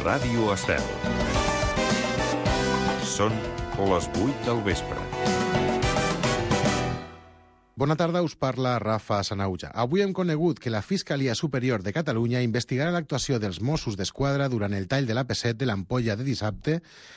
Ràdio Estel. Són les 8 del vespre. Bona tarda, us parla Rafa Sanauja. Avui hem conegut que la Fiscalia Superior de Catalunya investigarà l'actuació dels Mossos d'Esquadra durant el tall de l'AP7 de l'Ampolla de dissabte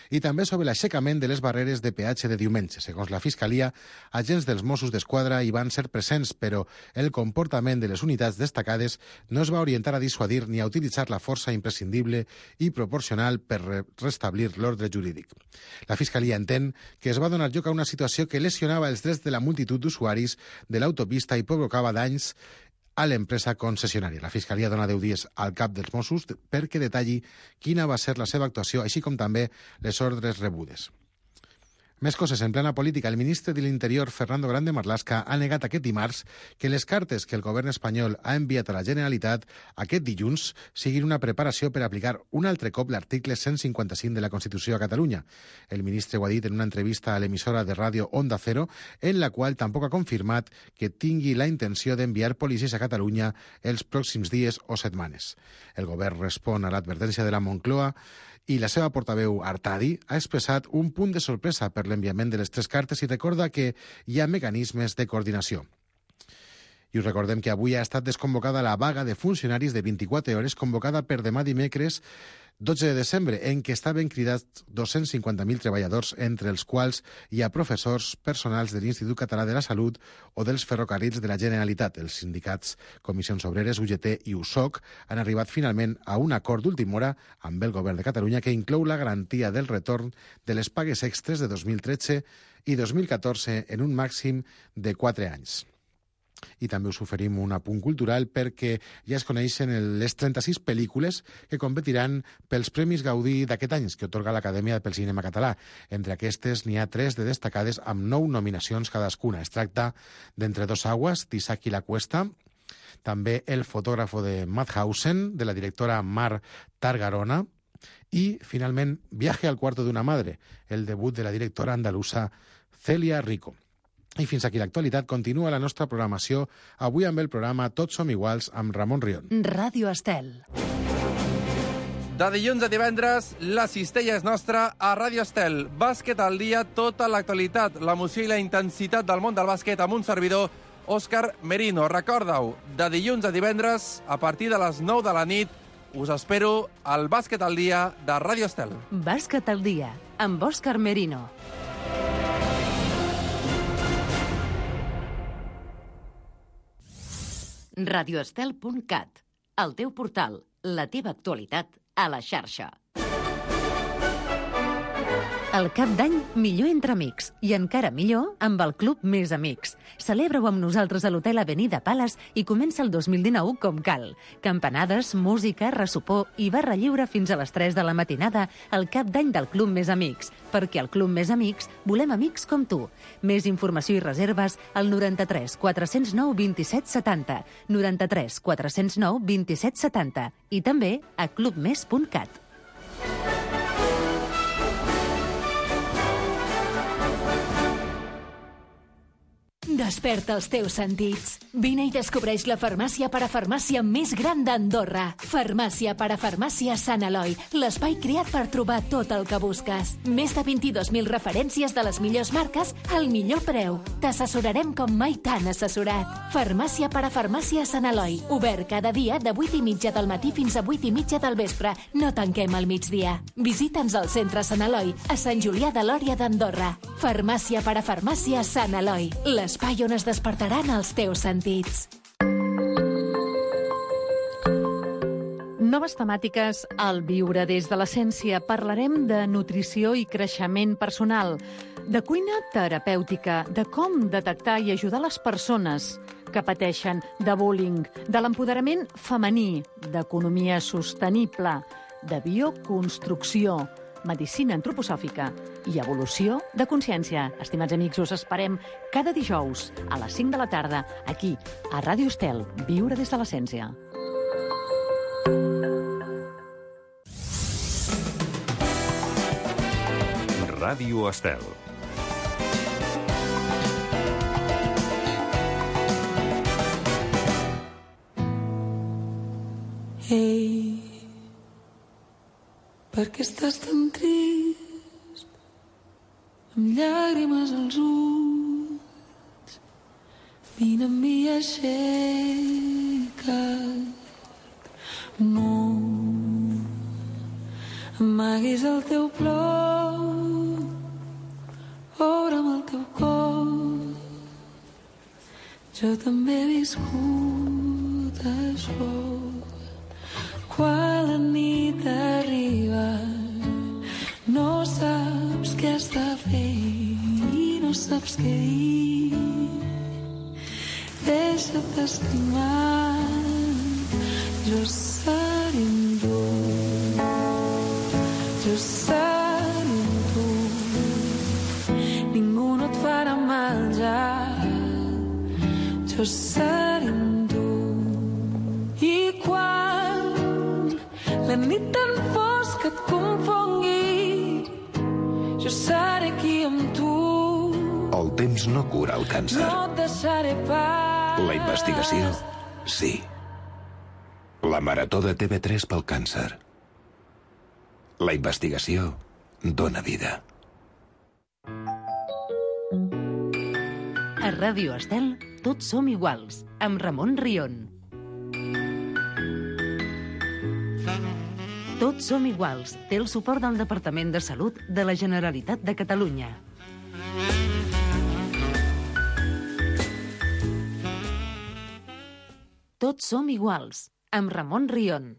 i també sobre l'aixecament de les barreres de peatge de diumenge. Segons la Fiscalia, agents dels Mossos d'Esquadra hi van ser presents, però el comportament de les unitats destacades no es va orientar a dissuadir ni a utilitzar la força imprescindible i proporcional per restablir l'ordre jurídic. La Fiscalia entén que es va donar lloc a una situació que lesionava els drets de la multitud d'usuaris de l'autopista i provocava danys a l'empresa concessionària. La Fiscalia dona 10 dies al cap dels Mossos perquè detalli quina va ser la seva actuació, així com també les ordres rebudes. Més coses. En plena política, el ministre de l'Interior, Fernando Grande Marlaska, ha negat aquest dimarts que les cartes que el govern espanyol ha enviat a la Generalitat aquest dilluns siguin una preparació per aplicar un altre cop l'article 155 de la Constitució a Catalunya. El ministre ho ha dit en una entrevista a l'emissora de ràdio Onda Cero, en la qual tampoc ha confirmat que tingui la intenció d'enviar policies a Catalunya els pròxims dies o setmanes. El govern respon a l'advertència de la Moncloa i la seva portaveu Artadi ha expressat un punt de sorpresa per l'enviament de les 3 cartes i recorda que hi ha mecanismes de coordinació. I us recordem que avui ha estat desconvocada la vaga de funcionaris de 24 hores convocada per demà dimecres 12 de desembre, en què estaven cridats 250.000 treballadors, entre els quals hi ha professors, personals de l'Institut Català de la Salut o dels ferrocarrils de la Generalitat. Els sindicats Comissions Obreres, UGT i USOC han arribat finalment a un acord d'última hora amb el Govern de Catalunya que inclou la garantia del retorn de les pagues extres de 2013 i 2014 en un màxim de 4 anys. I també us oferim un apunt cultural perquè ja es coneixen les 36 pel·lícules que competiran pels Premis Gaudí d'aquest any que atorga l'Acadèmia pel Cinema Català. Entre aquestes n'hi ha 3 de destacades amb 9 nominacions cadascuna. Es tracta d'Entre dos aguas, d'Isaac i la Cuesta, també El fotògrafo de Madhausen, de la directora Mar Targarona, i, finalment, Viaje al cuarto de una madre, el debut de la directora andalusa Celia Rico. I fins aquí l'actualitat. Continua la nostra programació, avui amb el programa Tots som iguals, amb Ramon Rion. Ràdio Estel. De dilluns a divendres, la cistella és nostra a Ràdio Estel. Bàsquet al dia, tota l'actualitat, l'emoció i la intensitat del món del bàsquet amb un servidor, Òscar Merino. Recorda-ho, de dilluns a divendres, a partir de les 9 de la nit, us espero al Bàsquet al dia de Ràdio Estel. Bàsquet al dia, amb Òscar Merino. radioestel.cat, el teu portal, la teva actualitat a la xarxa. El cap d'any, millor entre amics, i encara millor amb el Club Més Amics. Celebra-ho amb nosaltres a l'Hotel Avenida Palace i comença el 2019 com cal. Campanades, música, ressopor i barra lliure fins a les 3 de la matinada al cap d'any del Club Més Amics, perquè al Club Més Amics volem amics com tu. Més informació i reserves al 93 409 27 70, 93 409 27 70 i també a clubmes.cat. Desperta els teus sentits. Vine i descobreix la farmàcia parafarmàcia més gran d'Andorra. Farmàcia parafarmàcia Sant Eloi, l'espai creat per trobar tot el que busques. Més de 22.000 referències de les millors marques al millor preu. T'assessorarem com mai t'han assessorat. Farmàcia parafarmàcia Sant Eloi, obert cada dia de 8:30 del matí fins a 8:30 del vespre. No tanquem al migdia. Visita'ns al centre Sant Eloi, a Sant Julià de Lòria d'Andorra. Farmàcia parafarmàcia Sant Eloi, l'espai on es despertaran els teus sentits. Noves temàtiques al Viure des de l'Essència. Parlarem de nutrició i creixement personal, de cuina terapèutica, de com detectar i ajudar les persones que pateixen de bullying, de l'empoderament femení, d'economia sostenible, de bioconstrucció, medicina antroposòfica i evolució de consciència. Estimats amics, us esperem cada dijous a les 5 de la tarda, aquí, a Ràdio Estel, Viure des de l'Essència. Ràdio Estel. Hey, Per què estàs tan trist, amb llàgrimes als ulls? Vine amb mi, aixeca't. No amaguis el teu plor, obre'm el teu cor. Jo també he viscut això. Quan la nit arriba, no saps què has de fer i no saps què dir. Deixa't estimar, jo seré amb tu. Jo seré amb tu. Ningú no et farà mal ja. Jo seré amb tu. I quan la nit tan fosca et confongui, jo seré aquí amb tu. El temps no cura el càncer. No et deixaré pas. La investigació, sí. La marató de TV3 pel càncer. La investigació dona vida. A Ràdio Estel, tots som iguals, amb Ramon Rion. Tots som iguals té el suport del Departament de Salut de la Generalitat de Catalunya. Tots som iguals, amb Ramon Rion.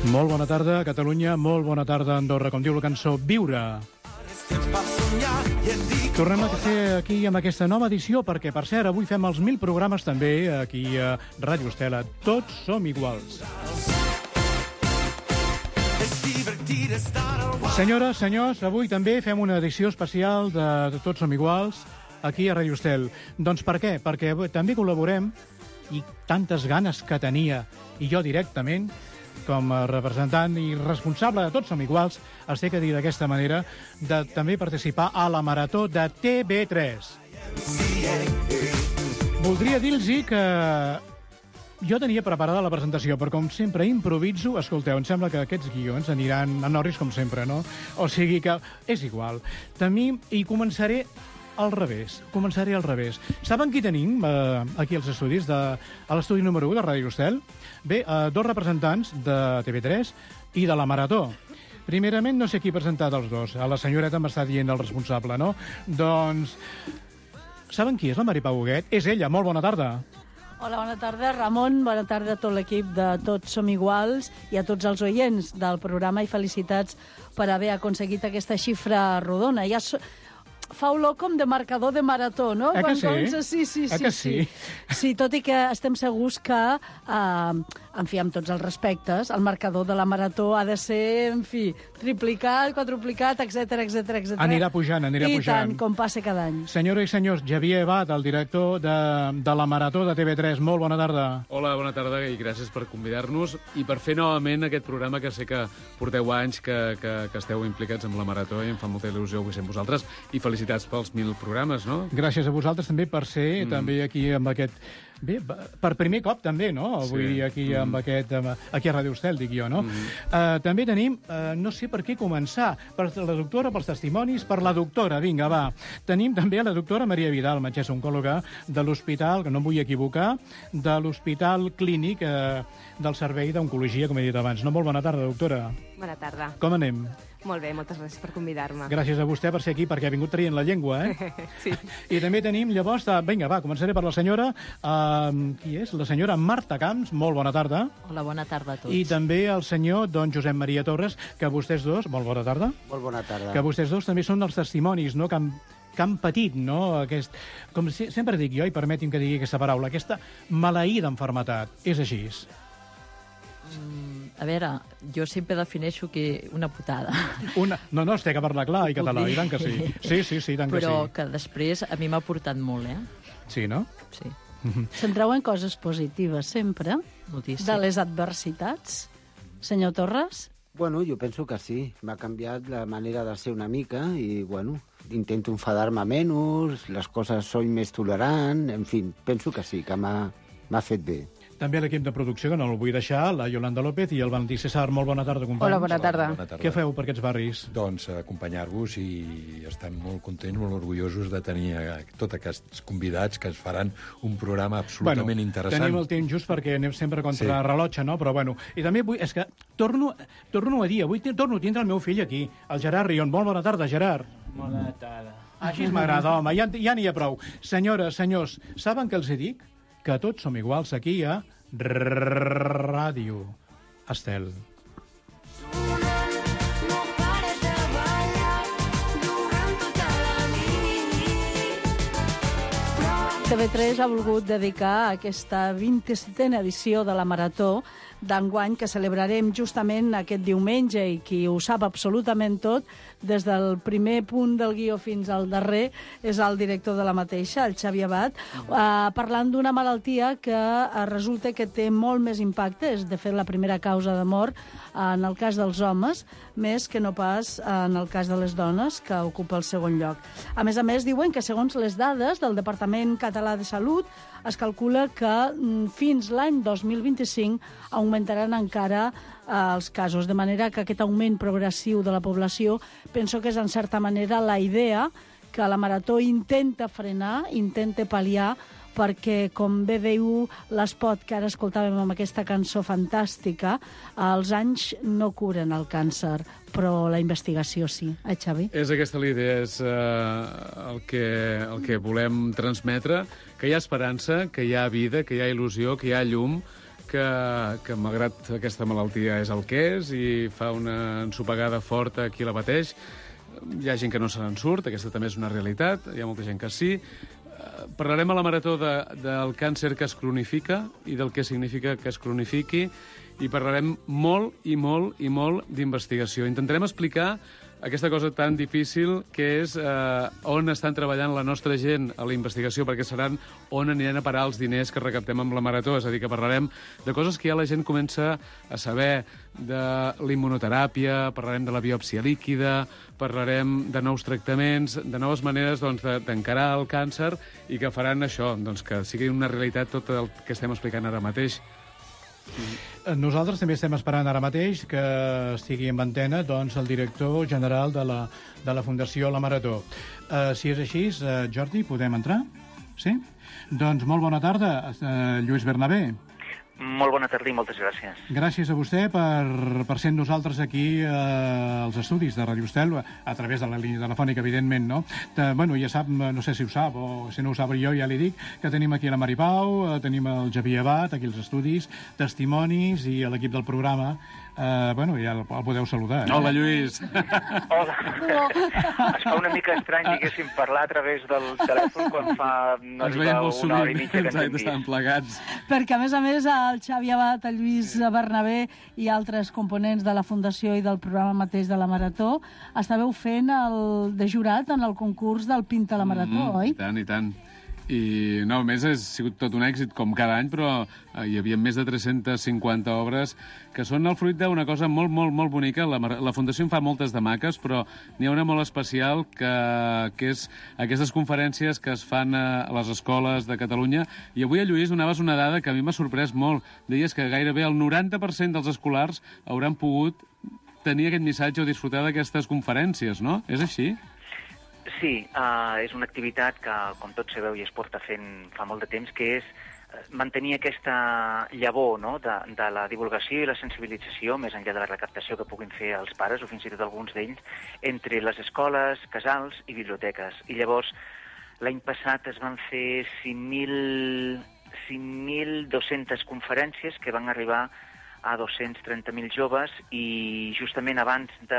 Molt bona tarda, Catalunya, molt bona tarda, Andorra, com diu la cançó, Viure. Tornem a ser aquí amb aquesta nova edició, perquè, per cert, avui fem els 1000 programes també aquí a Ràdio Estela. Tots som iguals. Senyores, senyors, avui també fem una edició especial de Tots som iguals aquí a Ràdio Estel. Doncs per què? Perquè també col·laborem, i tantes ganes que tenia, i jo directament, com a representant i responsable de Tots som iguals, els he de dir d'aquesta manera, de també participar a la marató de TV3. Voldria dir-los que jo tenia preparada la presentació, però com sempre improviso, escolteu, em sembla que aquests guions aniran a Norris com sempre, no? O sigui que és igual. També hi començaré al revés. Saben qui tenim aquí als estudis, a l'estudi número 1 de Ràdio Estel? Bé, dos representants de TV3 i de la Marató. Primerament, no sé qui ha presentat els dos. A la senyoreta m'està dient el responsable, no? Doncs, saben qui és la Mari Pau Huguet? És ella, molt bona tarda. Hola, bona tarda, Ramon. Bona tarda a tot l'equip de Tots som iguals i a tots els oients del programa, i felicitats per haver aconseguit aquesta xifra rodona. Ja fa olor com de marcador de marató, no? Que sí? Sí. Sí, tot i que estem segurs que, en fi, amb tots els respectes, el marcador de la marató ha de ser, en fi, triplicat, quadruplicat, etc. Anirà pujant. I tant, com passa cada any. Senyores i senyors, Xavier Abad, el director de la Marató de TV3. Molt bona tarda. Hola, bona tarda i gràcies per convidar-nos i per fer novament aquest programa que sé que porteu anys que esteu implicats amb la Marató i em fa molta il·lusió avui ser amb vosaltres i felicitats pels 1000 programes, no? Gràcies a vosaltres també per ser també aquí amb aquest... Bé, per primer cop també, no? Vull dir, aquí amb aquest... Aquí a Ràdio Estel, dic jo, no? També tenim, no sé per què començar, per la doctora, pels testimonis, per la doctora, vinga, va. Tenim també la doctora Maria Vidal, metgessa oncòloga de l'Hospital, que no em vull equivocar, de l'Hospital Clínic del Servei d'Oncologia, com he dit abans. No, molt bona tarda, doctora. Bona tarda. Com anem? Molt bé, moltes gràcies per convidar-me. Gràcies a vostè per ser aquí, perquè ha vingut traient la llengua, Sí. I també tenim, llavors, vinga, va, començaré per la senyora, qui és? La senyora Marta Camps, molt bona tarda. Hola, bona tarda a tots. I també el senyor don Josep Maria Torres, que vostès dos, molt bona tarda. Molt bona tarda. Que vostès dos també són els testimonis, no?, que han patit, no?, com sempre dic jo, i permeti'm que digui aquesta paraula, aquesta maleïda enfermetat. És així. A veure, jo sempre defineixo que una putada. No, es té que parlar clar i català, i tant que sí. Sí, tant que sí. Però que després a mi m'ha portat molt, Sí, no? Sí. Centreu en coses positives sempre, moltíssim, de les adversitats. Senyor Torres? Bueno, jo penso que sí. M'ha canviat la manera de ser una mica i, bueno, intento enfadar-me menys, les coses soy més tolerant, en fi, penso que sí, que m'ha fet bé. També l'equip de producció, que no el vull deixar, la Yolanda López i el Valentí César. Molt bona tarda, companys. Hola, bona tarda. Què feu per aquests barris? Doncs acompanyar-vos i estem molt contents, molt orgullosos de tenir tots aquests convidats que ens faran un programa absolutament interessant. Tenim el temps just perquè anem sempre contra rellotge, no? Però bueno, i també vull... És que torno a dir, avui torno a tindre el meu fill aquí, el Gerard Rion. Molt bona tarda, Gerard. Bona tarda. Així m'agrada, home, ja n'hi ha prou. Senyores, senyors, saben què els dic? Que tots som iguals aquí a Ràdio Estel. TV3 ha volgut dedicar aquesta 27a edició de la Marató d'enguany, que celebrarem justament aquest diumenge, i qui ho sap absolutament tot, des del primer punt del guió fins al darrer, és el director de la mateixa, el Xavi Abad, parlant d'una malaltia que resulta que té molt més impacte, és de fet la primera causa de mort en el cas dels homes, més que no pas en el cas de les dones, que ocupa el segon lloc. A més, diuen que segons les dades del Departament Català de Salut, es calcula que fins l'any 2025 augmentaran encara els casos, de manera que aquest augment progressiu de la població penso que és en certa manera la idea que la Marató intenta frenar, intenta pal·liar, perquè, com bé diu l'espot que ara escoltàvem amb aquesta cançó fantàstica, els anys no curen el càncer, però la investigació sí. Xavi? És aquesta la idea, és el que volem transmetre, que hi ha esperança, que hi ha vida, que hi ha il·lusió, que hi ha llum, que malgrat aquesta malaltia és el que és i fa una ensopegada forta a qui la pateix. Hi ha gent que no se n'en surt, aquesta també és una realitat, hi ha molta gent que sí. Parlarem a la Marató del càncer que es cronifica i del que significa que es cronifiqui, i parlarem molt i molt i molt d'investigació. Intentarem explicar aquesta cosa tan difícil que és on estan treballant la nostra gent a la investigació, perquè seran on aniran a parar els diners que recaptem amb la Marató. És a dir, que parlarem de coses que ja la gent comença a saber, de la immunoteràpia, parlarem de la biòpsia líquida, parlarem de nous tractaments, de noves maneres d'encarar el càncer, i que faran això, que sigui una realitat tot el que estem explicant ara mateix. Nosaltres també estem esperant ara mateix que estigui en antena el director general de la Fundació La Marató. Si és així, Jordi, podem entrar? Sí? Doncs molt bona tarda, Lluís Bernabé. Molt bona tarda i moltes gràcies. Gràcies a vostè per ser amb nosaltres aquí als estudis de Ràdio Estel, a través de la línia telefònica, evidentment, no? Bueno, ja sap, no sé si ho sap, o si no ho sap jo ja li dic, que tenim aquí la Mari Pau, tenim el Xavier Abad, aquí als estudis, testimonis i l'equip del programa. Bueno, ja el podeu saludar. Hola, Lluís. Hola. Es fa una mica estrany, diguéssim, parlar a través del telèfon quan fa una hora i mitja que ens hem vist. Plegats. Perquè, a més, el Xavi Abad, el Lluís Bernabé i altres components de la Fundació i del programa mateix de la Marató estàveu fent de jurat en el concurs del Pinta la Marató, oi? I tant, i tant. I, no, a més, ha sigut tot un èxit, com cada any, però hi havia més de 350 obres que són el fruit d'una cosa molt, molt, molt bonica. La Fundació en fa moltes de maques, però n'hi ha una molt especial que és aquestes conferències que es fan a les escoles de Catalunya. I avui, Lluís, donaves una dada que a mi m'ha sorprès molt. Deies que gairebé el 90% dels escolars hauran pogut tenir aquest missatge o disfrutar d'aquestes conferències, no? És així? Sí, és una activitat que, com tots sabeu, ja es porta fent fa molt de temps, que és mantenir aquesta llavor, no?, de la divulgació i la sensibilització, més enllà de la recaptació que puguin fer els pares, o fins i tot alguns d'ells, entre les escoles, casals i biblioteques. I llavors, l'any passat es van fer 5.200 conferències que van arribar a 230.000 joves, i justament abans de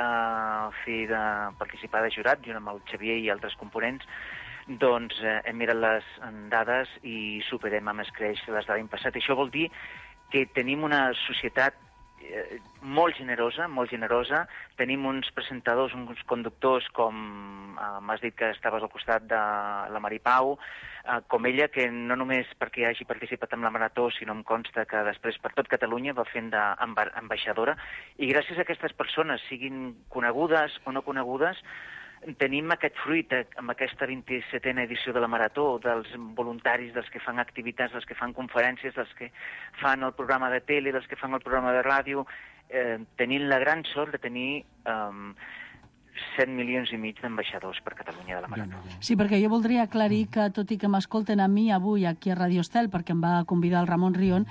participar de jurat, junt amb el Xavier i altres components, doncs hem mirat les dades i superem amb escreix les de l'any passat. Això vol dir que tenim una societat molt generosa, molt generosa. Tenim uns presentadors, uns conductors, com m'has dit que estaves al costat de la Maripau, com ella, que no només perquè hagi participat en la marató, sinó em consta que després per tot Catalunya va fent d'ambaixadora. I gràcies a aquestes persones, siguin conegudes o no conegudes, tenim aquest fruit amb aquesta 27a edició de la Marató, dels voluntaris, dels que fan activitats, dels que fan conferències, dels que fan el programa de tele, dels que fan el programa de ràdio, tenint la gran sort de tenir 7,5 milions d'ambaixadors per Catalunya de la Marató. Sí, perquè jo voldria aclarir que, tot i que m'escolten a mi avui aquí a Radio Estel, perquè em va convidar el Ramon Rion,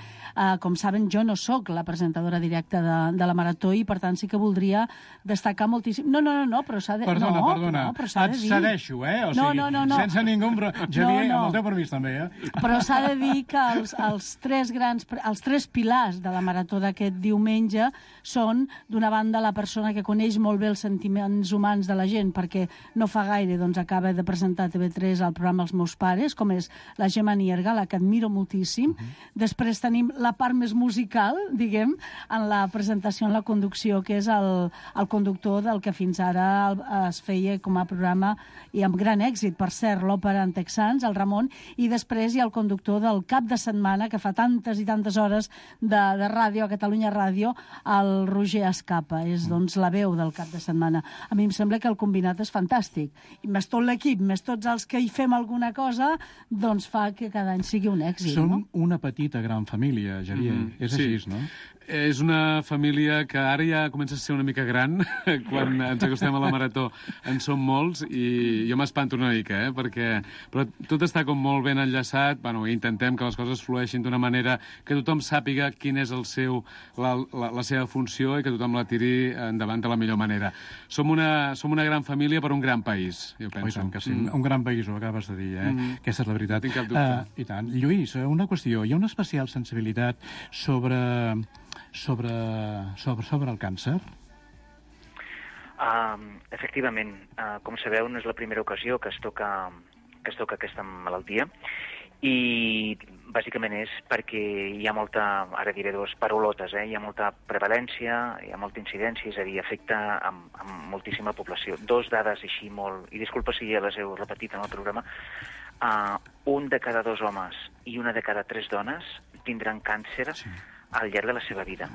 com saben, jo no sóc la presentadora directa de la Marató i, per tant, sí que voldria destacar moltíssim... No, però s'ha de... Perdona, et cedeixo, O sigui, sense ningú... Xavier, amb el teu permís també, Però s'ha de dir que els tres pilars de la Marató d'aquest diumenge són, d'una banda, la persona que coneix molt bé els sentiments humans de la gent, perquè no fa gaire acaba de presentar a TV3 el programa Els meus pares, com és la Gemma Nierga, la que admiro moltíssim. Després tenim la part més musical, diguem, en la presentació, en la conducció, que és el conductor del que fins ara es feia com a programa, i amb gran èxit, per cert, l'òpera en Texans, el Ramon, i després hi ha el conductor del cap de setmana, que fa tantes i tantes hores de ràdio, a Catalunya Ràdio, el Roger Escapa, és doncs la veu del cap de setmana. A mi em sembla que el combinat és fantàstic. I més tot l'equip, més tots els que hi fem alguna cosa, doncs fa que cada any sigui un èxit. Som una petita gran família, Xavier. És així, no? És una família que ara ja comença a ser una mica gran, quan ens acostem a la Marató en som molts, i jo m'espanto una mica, però tot està com molt ben enllaçat, intentem que les coses flueixin d'una manera que tothom sàpiga quin és la seva funció i que tothom la tiri endavant de la millor manera. Som una gran família per un gran país, jo penso. I tant que sí, un gran país, ho acabes de dir, Aquesta és la veritat. Tinc cap dubte. I tant. Lluís, una qüestió. Hi ha una especial sensibilitat sobre el càncer? Efectivament, com sabeu, no és la primera ocasió que es toca aquesta malaltia, i bàsicament és perquè hi ha molta, ara diré dues paraulotes, hi ha molta prevalència, hi ha molta incidència, és a dir, afecta amb moltíssima població. Dos dades així molt, i disculpa si ja les heu repetit en el programa, un de cada 2 homes i una de cada 3 dones tindran càncer al llarg de la seva vida.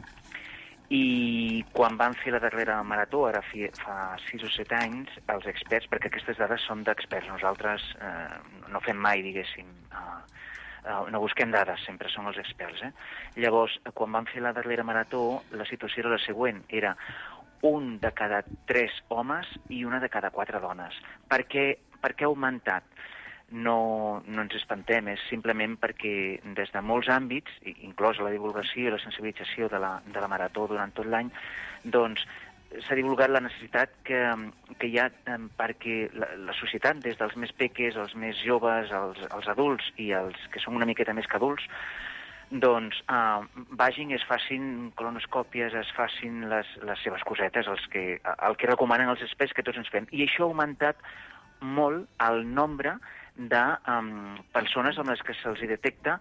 I quan van fer la darrera marató, ara fa 6 o 7 anys, els experts, perquè aquestes dades són d'experts, nosaltres no fem mai, diguéssim, no busquem dades, sempre són els experts. Llavors, quan van fer la darrera marató, la situació era la següent, era un de cada 3 homes i una de cada 4 dones. Per què ha augmentat? No ens espantem, és simplement perquè des de molts àmbits, inclòs la divulgació i la sensibilització de la Marató durant tot l'any, doncs s'ha divulgat la necessitat que hi ha perquè la societat, des dels més peques, els més joves, els adults i els que són una miqueta més que adults, doncs vagin, es facin colonoscòpies, es facin les seves cosetes, el que recomanen els experts que tots ens fem. I això ha augmentat molt el nombre de persones amb les que se'ls detecta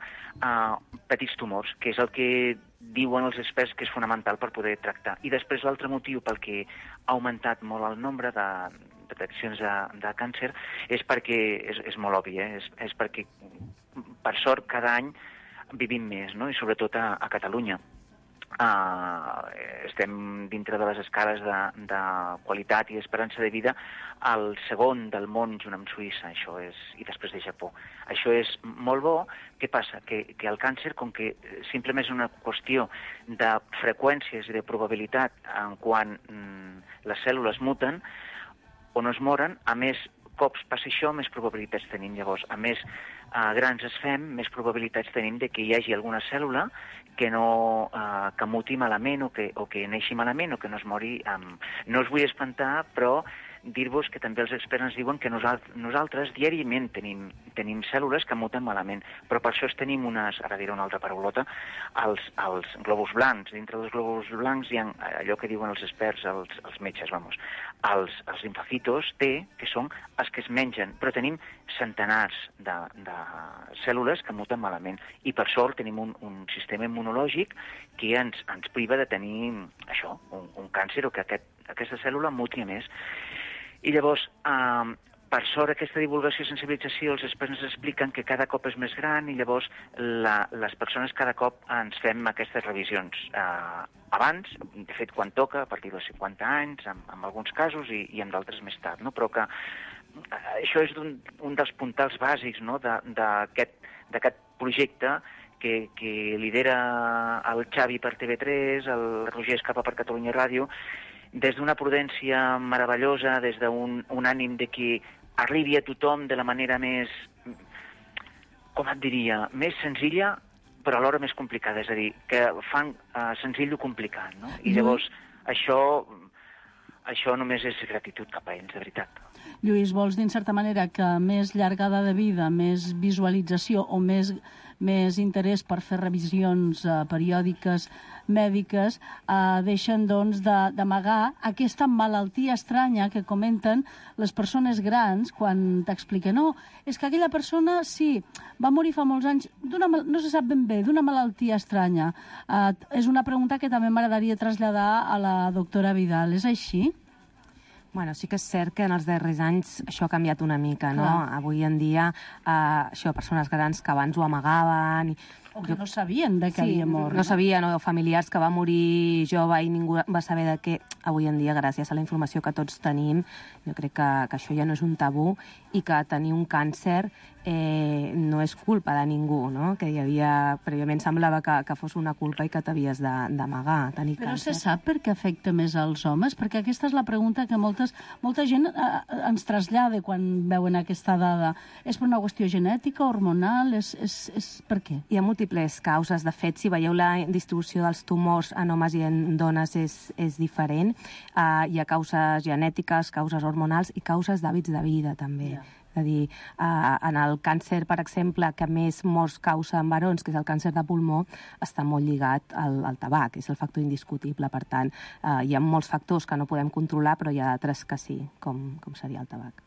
petits tumors, que és el que diuen els experts que és fonamental per poder tractar. I després l'altre motiu pel que ha augmentat molt el nombre de deteccions de càncer és perquè, és molt obvi, és perquè per sort cada any vivim més, no? I sobretot a Catalunya. Estem dintre de les escales de qualitat i esperança de vida al segon del món junt amb Suïssa, això és, i després de Japó. Això és molt bo. Què passa? Que el càncer, com que simplement és una qüestió de freqüències i de probabilitat en quan les cèl·lules muten o no es moren, a més cops passa això, més probabilitats tenim. Llavors, a més grans es fem, més probabilitats tenim de que hi hagi alguna cèl·lula que muti malament o que neixi malament o que no es mori. No us vull espantar, però dir-vos que també els experts ens diuen que nosaltres diàriament tenim cèl·lules que muten malament, però per això tenim ara diré una altra paraulota, els glòbuls blancs. Dintre dels glòbuls blancs hi ha allò que diuen els experts, els metges, els linfocitos T, que són els que es mengen, però tenim centenars de cèl·lules que muten malament, i per sort tenim un sistema immunològic que ens priva de tenir això, un càncer, o que aquesta cèl·lula muti més. I llavors, per sort, aquesta divulgació i sensibilització, els experts ens expliquen que cada cop és més gran, i llavors les persones cada cop ens fem aquestes revisions abans, de fet quan toca, a partir dels 50 anys, en alguns casos, i en d'altres més tard, no? Però que això és un dels puntals bàsics, no?, d'aquest projecte que lidera el Xavi per TV3, el Roger Escapa per Catalunya Ràdio, des d'una prudència meravellosa, des d'un ànim de que arribi a tothom de la manera més, com et diria, més senzilla, però alhora més complicada. És a dir, que fan senzill o complicat, no? I llavors això només és gratitud cap a ells, de veritat. Lluís, vols dir, en certa manera, que més llargada de vida, més visualització o més interès per fer revisions periòdiques mèdiques deixen, doncs, d'amagar aquesta malaltia estranya que comenten les persones grans quan t'expliquen és que aquella persona, sí, va morir fa molts anys, no se sap ben bé, d'una malaltia estranya. És una pregunta que també m'agradaria traslladar a la doctora Vidal. És així? Bueno, sí que és cert que en els darrers anys això ha canviat una mica, no? Avui en dia, persones grans que abans ho amagaven... O que no sabien de què havia mort. No sabien, o familiars que va morir jove i ningú va saber de què. Avui en dia, gràcies a la informació que tots tenim, jo crec que això ja no és un tabú, i que tenir un càncer no és culpa de ningú, no? Que prèviament semblava que fos una culpa i que t'havies d'amagar, tenir càncer. Però se sap per què afecta més als homes? Perquè aquesta és la pregunta que molta gent ens trasllada quan veuen aquesta dada. És per una qüestió genètica, hormonal? És per què? Hi ha múltiples causes. De fet, si veieu la distribució dels tumors en homes i en dones és diferent. Hi ha causes genètiques, causes hormonals i causes d'hàbits de vida, també. És a dir, en el càncer, per exemple, que més morts causa en barons, que és el càncer de pulmó, està molt lligat al tabac, és el factor indiscutible. Per tant, hi ha molts factors que no podem controlar, però hi ha altres que sí, com seria el tabac.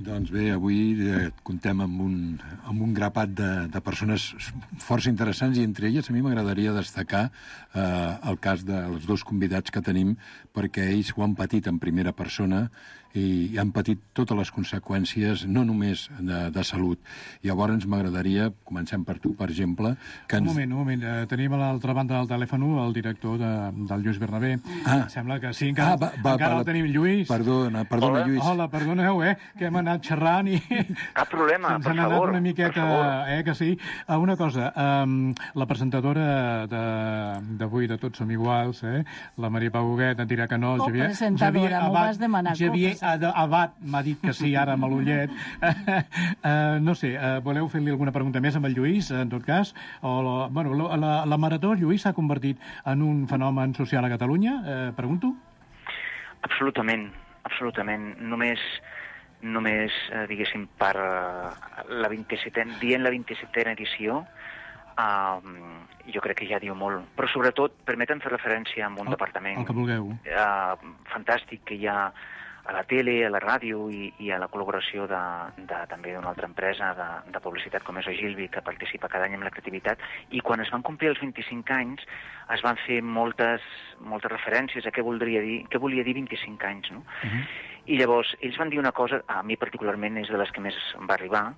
Doncs bé, avui comptem amb un grapat de persones força interessants, i entre elles a mi m'agradaria destacar el cas dels dos convidats que tenim, perquè ells ho han patit en primera persona i han patit totes les conseqüències, no només de salut. Llavors m'agradaria, comencem per tu, per exemple... Un moment. Tenim a l'altra banda del telèfon el director del Lluís Bernabé. Sembla que sí, encara el tenim, Lluís. Perdona, Lluís. Hola, perdoneu, que hem anat xerrant i... Cap problema, per favor. Ens han anat una miqueta, que sí. Una cosa, la presentadora d'avui de Tots som iguals, la Maria Pau Huguet, et dirà que no. Presentadora, m'ho vas demanar. Abad m'ha dit que sí, ara amb l'ullet. No sé, voleu fer-li alguna pregunta més amb el Lluís, en tot cas? La marató, Lluís, s'ha convertit en un fenomen social a Catalunya? Pregunto? Absolutament. Només diguéssim, per la 27a edició, jo crec que ja diu molt. Però sobretot, permeten fer referència a un departament el que vulgueu. Fantàstic que hi ha a la tele, a la ràdio i a la col·laboració també d'una altra empresa de publicitat com és Ogilvy, que participa cada any en la creativitat, i quan es van complir els 25 anys es van fer moltes referències a què volia dir 25 anys, no? I llavors ells van dir una cosa, a mi particularment és de les que més em va arribar,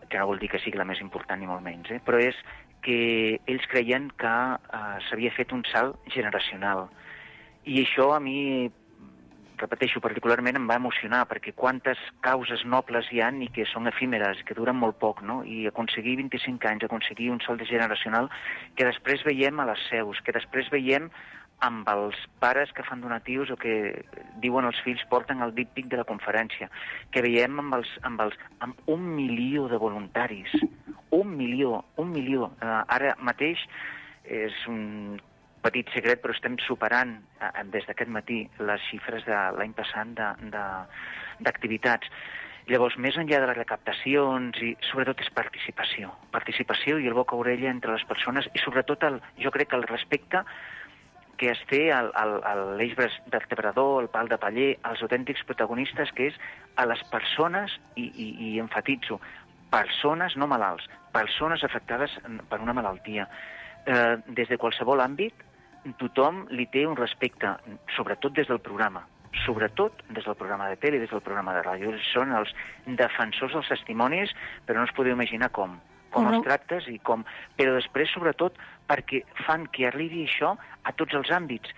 que no vol dir que sigui la més important ni molt menys, però és que ells creien que s'havia fet un salt generacional. I això a mi, repeteixo, particularment em va emocionar, perquè quantes causes nobles hi ha i que són efímeres, que duren molt poc, no? I aconseguir 25 anys, aconseguir un salt generacional que després veiem a les seus, que després veiem amb els pares que fan donatius o que diuen els fills porten el díptic de la conferència, que veiem amb 1 milió de voluntaris. 1 milió. Ara mateix és petit secret, però estem superant des d'aquest matí les xifres de l'any passat d'activitats. Llavors, més enllà de les recaptacions, i sobretot és participació. Participació i el boca a orella entre les persones i sobretot, jo crec que el respecte que es té a l'eix vertebrador, el pal de paller, als autèntics protagonistes, que és a les persones, i enfatitzo, persones, no malalts, persones afectades per una malaltia. Des de qualsevol àmbit, tothom li té un respecte, sobretot des del programa. Sobretot des del programa de tele i des del programa de ràdio. Són els defensors dels testimonis, però no us podeu imaginar com els tractes i com... Però després, sobretot, perquè fan que arribi això a tots els àmbits.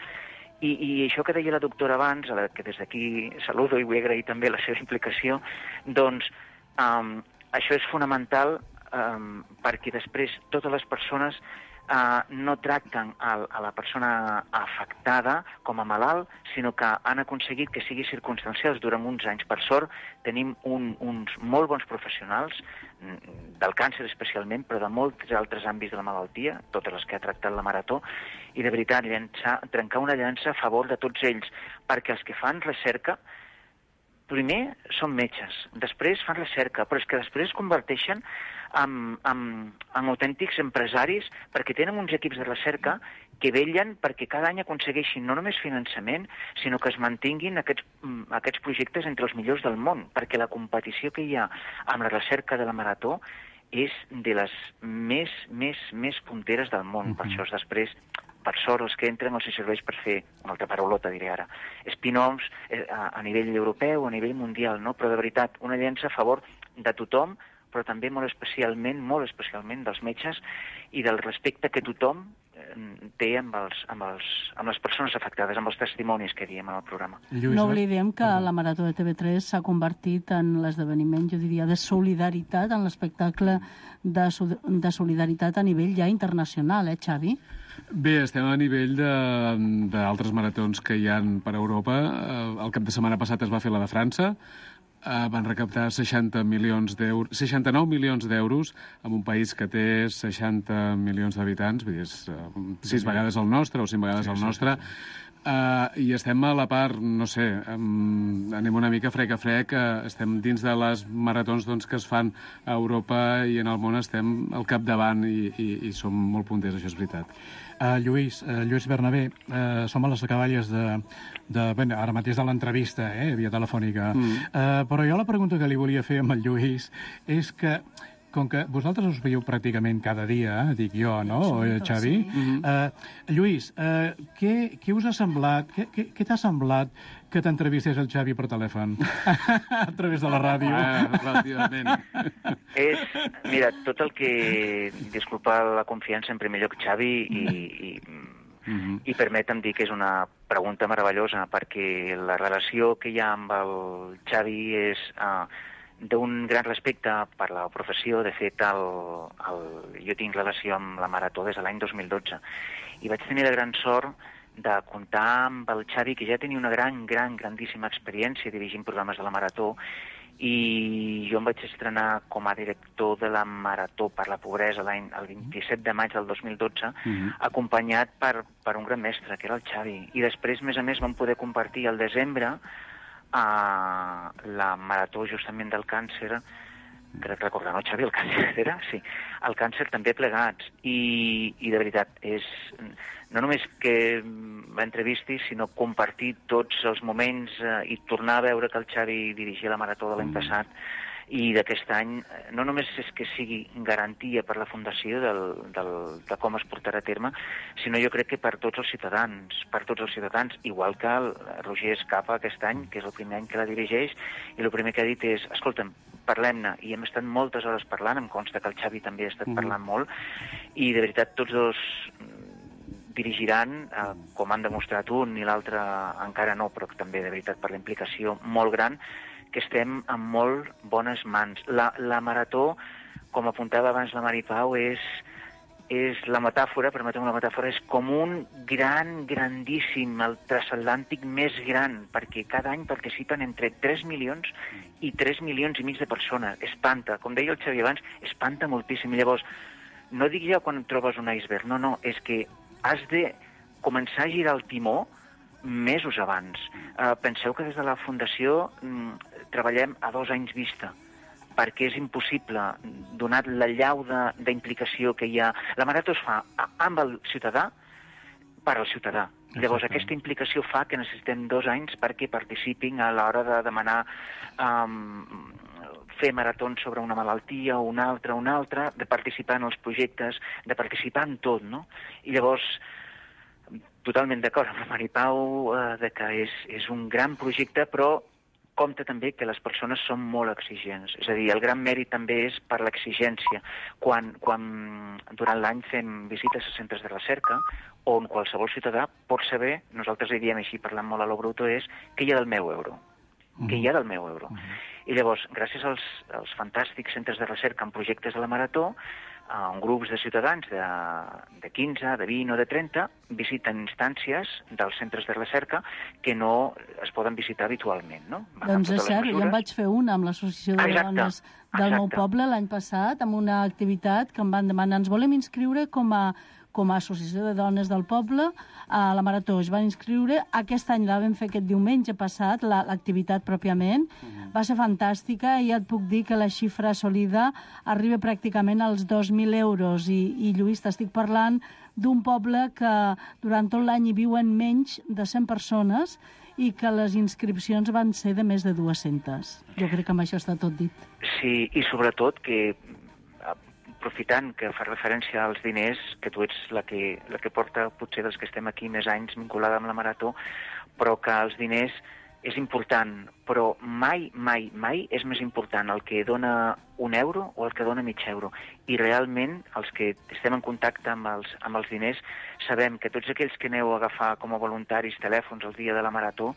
I això que deia la doctora abans, a la que des d'aquí saludo i vull agrair també la seva implicació, doncs això és fonamental perquè després totes les persones no tracten a la persona afectada com a malalt, sinó que han aconseguit que sigui circumstancials durant uns anys. Per sort, tenim uns molt bons professionals, del càncer especialment, però de molts altres àmbits de la malaltia, totes les que ha tractat la Marató, i de veritat, trencar una llança a favor de tots ells, perquè els que fan recerca primer són metges, després fan recerca, però és que després es converteixen en autèntics empresaris perquè tenen uns equips de recerca que vetllen perquè cada any aconsegueixin no només finançament, sinó que es mantinguin aquests projectes entre els millors del món, perquè la competició que hi ha amb la recerca de la Marató és de les més punteres del món. Per això després, per sort, els que entren els serveix per fer, una altra paraulota diré ara, spin-offs a nivell europeu, a nivell mundial, no? Però de veritat, una llança a favor de tothom, però també molt especialment dels metges i del respecte que tothom té amb les persones afectades, amb els testimonis que diem en el programa. No oblidem que la Marató de TV3 s'ha convertit en l'esdeveniment, jo diria, de solidaritat, en l'espectacle de solidaritat a nivell ja internacional, Xavi? Bé, estem a nivell d'altres maratons que hi ha per Europa. El cap de setmana passat es va fer la de França. Van recaptar 69 milions d'euros en un país que té 60 milions d'habitants, vull dir, és 6 vegades el nostre o 5 vegades el nostre. I estem a la part, no sé, anem una mica frec a frec, estem dins de les maratons que es fan a Europa i en el món estem al capdavant i som molt punters, això és veritat. Lluís Bernabé, som a les acaballes ara mateix de l'entrevista, via telefònica, però jo la pregunta que li volia fer amb el Lluís és que, com que vosaltres us veieu pràcticament cada dia, dic jo, no, Xavi? Lluís, què us ha semblat, què t'ha semblat que t'entrevistés el Xavi per telèfon a través de la ràdio? Relativament. Mira, tot el que... Disculpa la confiança, en primer lloc, Xavi, i permetem dir que és una pregunta meravellosa, perquè la relació que hi ha amb el Xavi és d'un gran respecte per la professió. De fet, jo tinc relació amb la Marató des de l'any 2012 i vaig tenir la gran sort de comptar amb el Xavi, que ja tenia una grandíssima experiència dirigint programes de la Marató, i jo em vaig estrenar com a director de la Marató per la Pobresa el 27 de maig del 2012, acompanyat per un gran mestre, que era el Xavi. I després, a més, vam poder compartir al desembre la Marató justament del càncer, crec recordar, no, Xavi? El càncer era? Sí, el càncer també plegats. I de veritat, és no només que l'entrevisti, sinó compartir tots els moments i tornar a veure que el Xavi dirigia la Marató de l'any passat i d'aquest any, no només és que sigui garantia per la Fundació de com es portarà a terme, sinó jo crec que per tots els ciutadans, igual que el Roger Escapa aquest any, que és el primer any que la dirigeix, i el primer que ha dit és, escolta'm, parlem-ne, i hem estat moltes hores parlant, em consta que el Xavi també ha estat parlant molt, i de veritat tots dos dirigiran, com han demostrat un i l'altre encara no, però també de veritat per la implicació molt gran, que estem en molt bones mans. La Marató, com apuntava abans la Mari Pau, és la metàfora, permeteu una metàfora, és com un grandíssim, el transatlàntic més gran, perquè cada any participen entre 3 milions i 3 milions i mig de persones. Espanta, com deia el Xavi abans, espanta moltíssim. Llavors, no dic ja quan trobes un iceberg, no, és que has de començar a girar el timó mesos abans. Penseu que des de la Fundació treballem a 2 anys vista, perquè és impossible, donat la llau d'implicació que hi ha. La marató es fa amb el ciutadà, per al ciutadà. Llavors, aquesta implicació fa que necessitem 2 anys perquè participin a l'hora de demanar fer maratons sobre una malaltia o una altra, de participar en els projectes, de participar en tot, no? I llavors, totalment d'acord amb la Maripau que és un gran projecte, però compte també que les persones són molt exigents. És a dir, el gran mèrit també és per l'exigència. Quan durant l'any fem visites a centres de recerca, on qualsevol ciutadà pot saber, nosaltres li diem així, parlant molt a lo bruto, és què hi ha del meu euro. Què hi ha del meu euro. I llavors, gràcies als fantàstics centres de recerca en projectes de la Marató, en grups de ciutadans de 15, de 20 o de 30, visiten instàncies dels centres de recerca que no es poden visitar habitualment, no? Doncs és cert, jo en vaig fer una amb l'Associació de Dones del meu poble l'any passat, amb una activitat que em van demanar, ens volem inscriure com a Associació de Dones del Poble a la Marató. Es van inscriure, aquest any la vam fer aquest diumenge passat, l'activitat pròpiament. Va ser fantàstica i ja et puc dir que la xifra assolida arriba pràcticament als 2.000 euros. I Lluís, t'estic parlant d'un poble que durant tot l'any hi viuen menys de 100 persones i que les inscripcions van ser de més de 200. Jo crec que amb això està tot dit. Sí, i sobretot que aprofitant que fa referència als diners, que tu ets la que porta, potser dels que estem aquí més anys vinculada amb la Marató, però que els diners és important, però mai, mai, mai és més important el que dona €1 o el que dona mig euro. I realment, els que estem en contacte amb els diners, sabem que tots aquells que aneu a agafar com a voluntaris telèfons el dia de la Marató,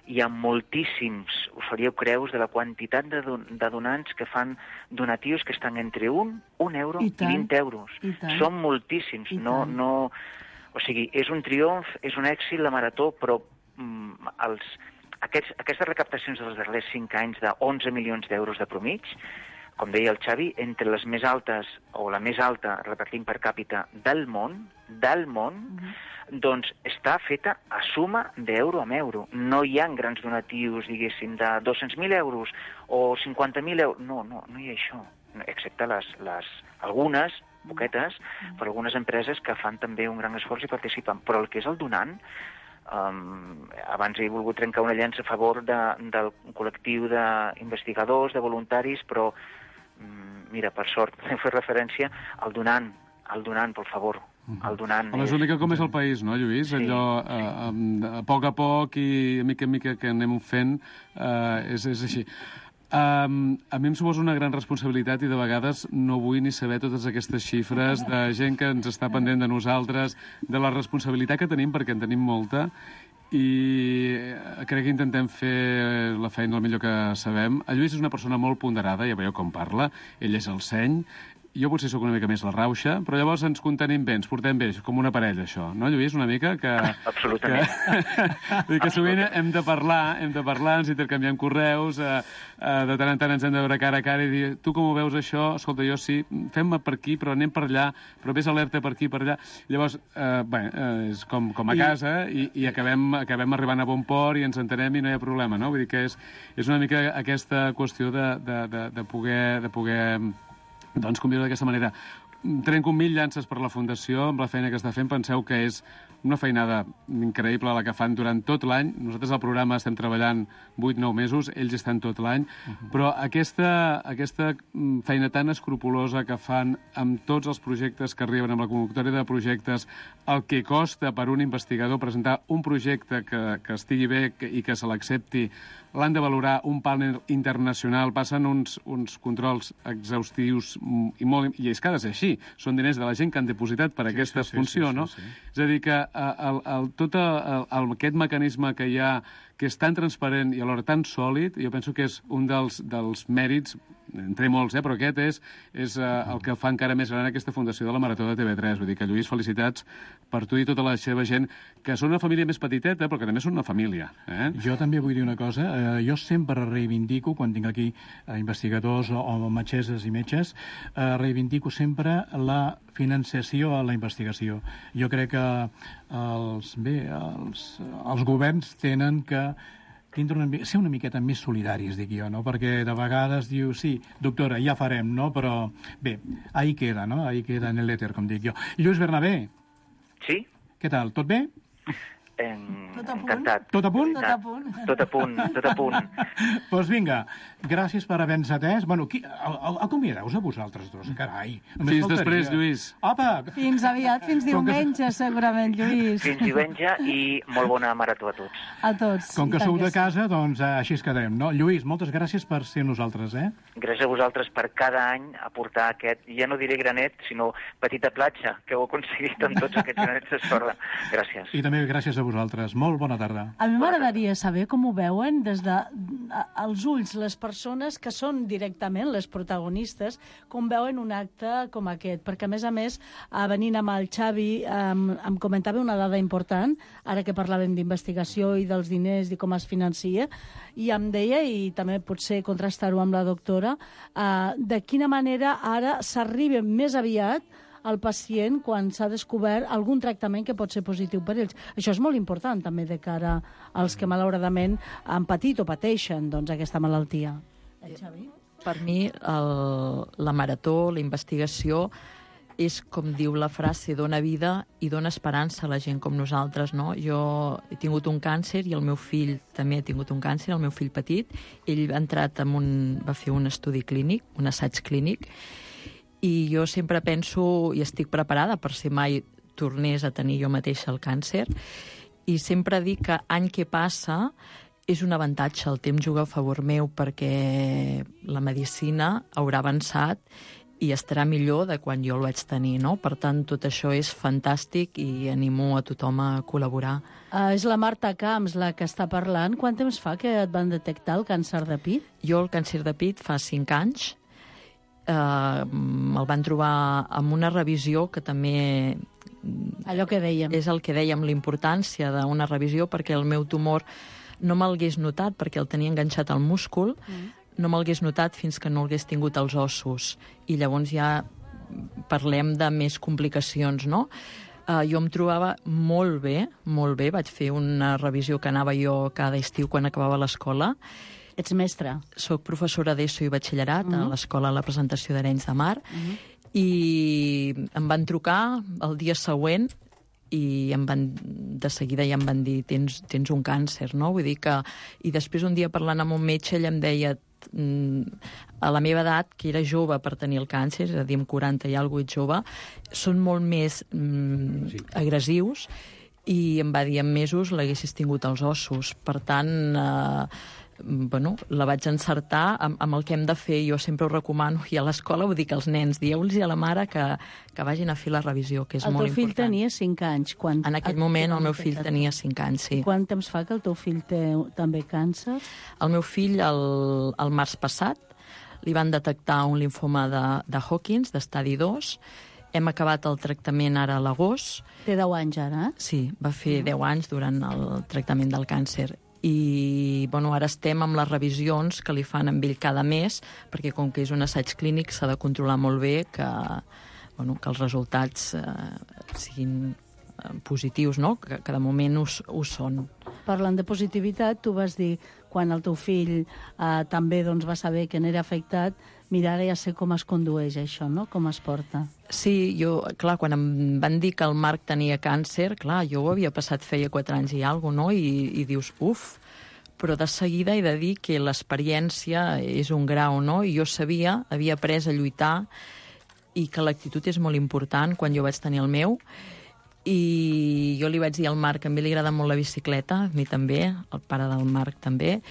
hi ha moltíssims, us faríeu creus, de la quantitat de donants que fan donatius que estan entre €1 i 20 euros. Són moltíssims. O sigui, és un triomf, és un èxit la Marató, però aquestes recaptacions dels darrers 5 anys de 11 milions d'euros de promig, com deia el Xavi, entre les més altes, o la més alta, repartint per càpita, del món, doncs està feta a suma d'euro amb euro. No hi ha grans donatius, diguéssim, de 200.000 euros o 50.000 euros. No hi ha això, excepte algunes, poquetes, però algunes empreses que fan també un gran esforç i participen. Però el que és el donant, abans he volgut trencar una llança a favor del col·lectiu d'investigadors, de voluntaris, però mira, per sort, hem fet referència al donant, per favor. El donant és una mica com és el país, no, Lluís? Sí, allò, a poc i a mica en mica que anem fent, és així. A mi em suposa una gran responsabilitat i de vegades no vull ni saber totes aquestes xifres de gent que ens està pendent de nosaltres, de la responsabilitat que tenim, perquè en tenim molta, i crec que intentem fer la feina el millor que sabem. El Lluís és una persona molt ponderada, ja veieu com parla, ell és el seny, jo potser sóc una mica més la rauxa, però llavors ens contenim bé, ens portem bé, com una parella, això, no, Lluís, una mica? Absolutament. Que sovint hem de parlar, ens intercanviem correus, de tant en tant ens hem de veure cara a cara i dir, tu com ho veus això? Escolta, jo sí, fem-me per aquí, però anem per allà, però vés alerta per aquí, per allà. Llavors, és com a casa i acabem arribant a bon port i ens entenem i no hi ha problema, no? Vull dir que és una mica aquesta qüestió de poder doncs conviure d'aquesta manera. Trenco 1.000 llances per la Fundació amb la feina que està fent. Penseu que és una feinada increïble la que fan durant tot l'any. Nosaltres al programa estem treballant 8-9 mesos, ells estan tot l'any, però aquesta feina tan escrupulosa que fan amb tots els projectes que arriben, amb la convocatòria de projectes, el que costa per un investigador presentar un projecte que estigui bé i que se l'accepti, l'han de valorar un panel internacional, passen uns controls exhaustius i és que ha de ser així. Són diners de la gent que han depositat per aquesta funció, no? És a dir, que tot aquest mecanisme que hi ha, que és tan transparent i alhora tan sòlid, jo penso que és un dels mèrits, entre molts, però aquest és el que fa encara més gran aquesta fundació de la Marató de TV3. Vull dir que, Lluís, felicitats per tu i tota la seva gent, que són una família més petiteta, però que també són una família. Jo també vull dir una cosa. Jo sempre reivindico, quan tinc aquí investigadors o metgesses i metges, reivindico sempre la financiació a la investigació. Jo crec que els governs tenen que ser una miqueta més solidaris, dic jo, no? Perquè de vegades diu, sí, doctora, ja farem, no? Però bé, ahí queda, no? Ahí queda en l'èter, com dic jo. Lluís Bernabé. Sí? Què tal, tot bé? Encantat. Tot a punt? Tot a punt. Doncs vinga, gràcies per haver-nos atès. Bueno, acomiadeu-vos a vosaltres dos, carai. Fins després, Lluís. Apa! Fins aviat, fins diumenge, segurament, Lluís. Fins diumenge i molt bona marató a tots. A tots. Com que sou de casa, doncs així es quedem, no? Lluís, moltes gràcies per ser nosaltres, Gràcies a vosaltres per cada any aportar aquest, ja no diré granet, sinó petita platja, que heu aconseguit amb tots aquests granets de sorra. Gràcies. I també gràcies a vosaltres. Molt bona tarda. A mi m'agradaria saber com ho veuen des dels ulls les persones que són directament les protagonistes, com veuen un acte com aquest. Perquè, a més, venint amb el Xavi, em comentava una dada important, ara que parlàvem d'investigació i dels diners i com es financia, i em deia, i també potser contrastar-ho amb la doctora, de quina manera ara s'arriba més aviat al pacient quan s'ha descobert algun tractament que pot ser positiu per ells. Això és molt important també de cara als que malauradament han patit o pateixen aquesta malaltia. Xavi? Per mi la marató, la investigació, és, com diu la frase, dona vida i dona esperança a la gent com nosaltres, no? Jo he tingut un càncer i el meu fill també ha tingut un càncer, el meu fill petit. Ell va fer un estudi clínic, un assaig clínic, i jo sempre penso, i estic preparada per si mai tornés a tenir jo mateixa el càncer, i sempre dic que any que passa és un avantatge, el temps juga a favor meu perquè la medicina haurà avançat i estarà millor de quan jo el vaig tenir, no? Per tant, tot això és fantàstic i animo a tothom a col·laborar. És la Marta Camps la que està parlant. Quant temps fa que et van detectar el càncer de pit? Jo el càncer de pit fa 5 anys. El van trobar amb una revisió que també... Allò que dèiem. És el que dèiem, la importància d'una revisió, perquè el meu tumor no me'lgués notat, perquè el tenia enganxat al múscul, no me'lgués notat fins que no l'hagués tingut als ossos. I llavors ja parlem de més complicacions, no? Jo em trobava molt bé, vaig fer una revisió que anava jo cada estiu quan acabava l'escola. Ets mestra? Soc professora d'ESO i batxillerat a l'Escola La Presentació d'Arenys de Mar, i em van trucar el dia següent i de seguida ja em van dir tens un càncer, no? Vull dir que... I després un dia parlant amb un metge, ell em deia a la meva edat, que era jove per tenir el càncer, és a dir, amb 40 i alguna cosa jove, són molt més agressius, i em va dir en mesos l'haguessis tingut als ossos. Per tant, la vaig encertar amb el que hem de fer. Jo sempre ho recomano, i a l'escola ho dic als nens, dieu-los a la mare que vagin a fer la revisió, que és molt important. El teu fill tenia 5 anys. En aquell moment el meu fill tenia 5 anys, sí. Quant temps fa que el teu fill té també càncer? El meu fill, el març passat, li van detectar un linfoma de Hodgkin, d'estadi 2. Hem acabat el tractament ara a l'agost. Té 10 anys ara, Sí, va fer 10 anys durant el tractament del càncer. I ara estem amb les revisions que li fan amb ell cada mes, perquè com que és un assaig clínic s'ha de controlar molt bé que els resultats siguin positius, no? Que de moment ho són. Parlant de positivitat, tu vas dir, quan el teu fill també va saber que n'era afectat, mira, ara ja sé com es condueix això, no? Com es porta. Sí, clar, quan em van dir que el Marc tenia càncer, clar, jo ho havia passat feia 4 anys i alguna cosa, no? I dius, però de seguida he de dir que l'experiència és un grau, no? I jo havia après a lluitar, i que l'actitud és molt important quan jo vaig tenir el meu, i jo li vaig dir al Marc, a mi li agrada molt la bicicleta, a mi també, el pare del Marc també,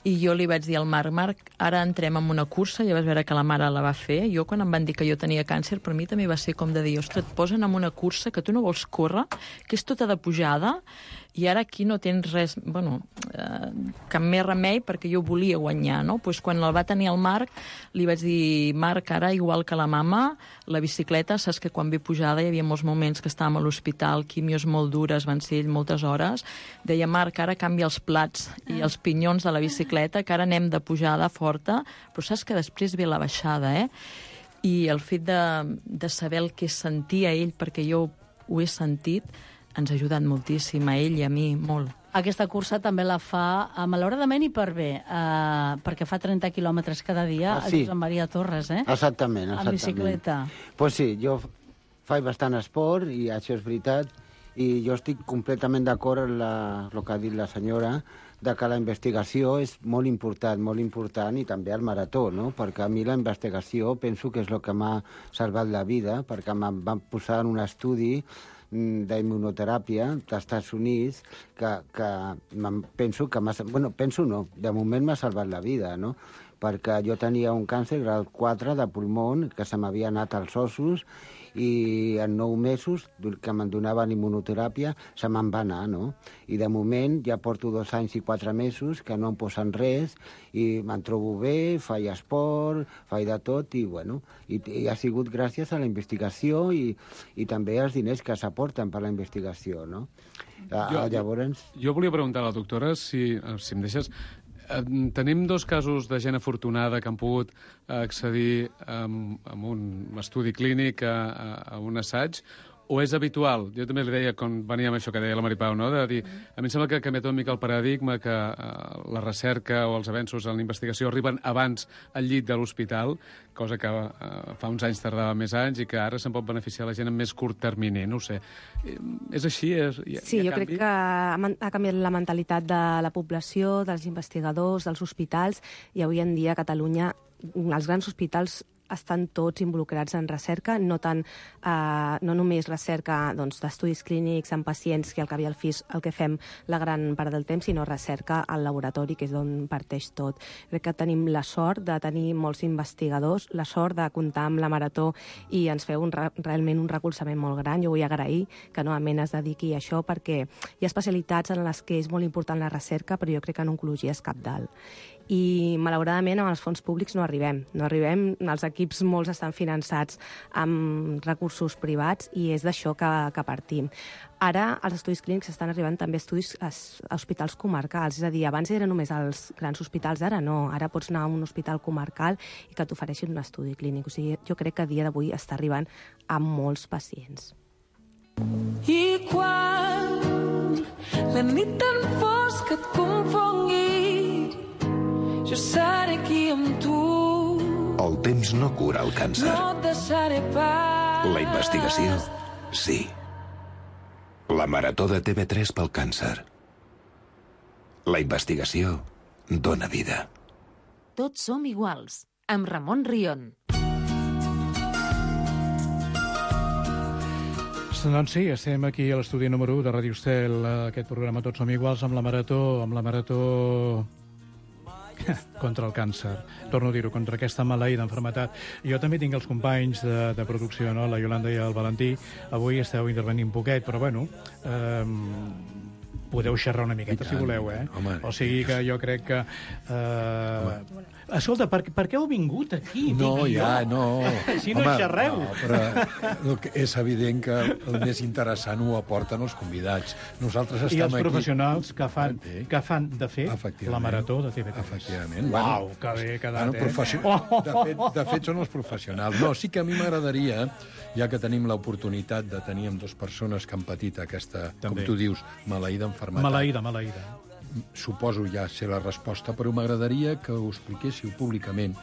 i jo li vaig dir al Marc, ara entrem en una cursa, ja vas veure que la mare la va fer. Jo, quan em van dir que jo tenia càncer, per mi també va ser com de dir, ostres, et posen en una cursa que tu no vols córrer, que és tota de pujada, I ara aquí no tens res, cap més remei, perquè jo volia guanyar, no? Pues quan el va tenir el Marc, li vaig dir, Marc, ara, igual que la mama, la bicicleta, saps que quan ve pujada hi havia molts moments que estàvem a l'hospital, quimios molt dures, van ser moltes hores, deia, Marc, ara canvia els plats i els pinyons de la bicicleta, que ara anem de pujada forta, però saps que després ve la baixada, I el fet de saber el que sentia ell, perquè jo ho he sentit, ens ha ajudat moltíssim, a ell i a mi, molt. Aquesta cursa també la fa, malauradament i per bé, perquè fa 30 quilòmetres cada dia a Josep Maria Torres, Exactament. En bicicleta. Pues sí, jo faig bastant esport, i això és veritat, i jo estic completament d'acord amb el que ha dit la senyora, de que la investigació és molt important, i també el marató, no? Perquè a mi la investigació penso que és el que m'ha salvat la vida, perquè em van posar en un estudi d'immunoteràpia dels Estats Units que penso que de moment m'ha salvat la vida, no? Perquè jo tenia un càncer grau 4 de pulmó que se m'havia anat als ossos, i en 9 mesos que me'n donaven immunoteràpia se me'n va anar, no? I de moment ja porto 2 anys i 4 mesos que no em posen res i me'n trobo bé, faig esport, faig de tot, i ha sigut gràcies a la investigació i també als diners que s'aporten per la investigació, no? Llavors... Jo volia preguntar a la doctora, si em deixes... Tenim 2 casos de gent afortunada que han pogut accedir a un estudi clínic, a un assaig, o és habitual? Jo també li deia, quan venia amb això que deia la Maripau, no? De dir, a mi em sembla que ha canviat una mica el paradigma, que la recerca o els avenços en la investigació arriben abans al llit de l'hospital, cosa que fa uns anys tardava més anys i que ara se'n pot beneficiar la gent en més curt termini, no ho sé. És així? Sí, jo crec que ha canviat la mentalitat de la població, dels investigadors, dels hospitals, i avui en dia a Catalunya els grans hospitals estan tots involucrats en recerca, no només recerca d'estudis clínics en pacients, que al cap i al fi és el que fem la gran part del temps, sinó recerca al laboratori, que és d'on parteix tot. Crec que tenim la sort de tenir molts investigadors, la sort de comptar amb la Marató, i ens feu realment un recolzament molt gran. Jo vull agrair que novament es dediqui a això, perquè hi ha especialitats en les que és molt important la recerca, però jo crec que en oncologia és cabdal. I malauradament amb els fons públics no arribem, els equips molts estan finançats amb recursos privats, i és d'això que partim. Ara els estudis clínics estan arribant també a hospitals comarcals, és a dir, abans eren només als grans hospitals, ara no, ara pots anar a un hospital comarcal i que t'ofereixin un estudi clínic. O sigui, jo crec que a dia d'avui està arribant a molts pacients. I quan la nit tan fosca et confongui, jo seré aquí amb tu. El temps no cura el càncer. No et deixaré pas. La investigació, sí. La Marató de TV3 pel càncer. La investigació dona vida. Tots som iguals, amb Ramon Rion. Doncs sí, estem aquí a l'estudi número 1 de Ràdio Estel, aquest programa Tots som iguals, amb la Marató contra el càncer. Torno a dir-ho, contra aquesta maleïda malaltitat. Jo també tinc els companys de producció, no? La Iolanda i el Valentí. Avui esteu intervenint poquet, però bueno, podeu xerrar una miqueta, si voleu, Home. O sigui que jo crec que... Escolta, per què heu vingut aquí? No, no. Si no xerreu. No, però és evident que el més interessant ho aporten els convidats. Nosaltres estem aquí... I els professionals que fan de fer la Marató de TV3. Efectivament. Uau, que bé quedat, De fet, són els professionals. No, sí que a mi m'agradaria, ja que tenim l'oportunitat de tenir amb 2 persones que han patit aquesta, com tu dius, maleïda malaltitat. Maleïda. Suposo ja sé la resposta, però m'agradaria que ho expliquéssiu públicament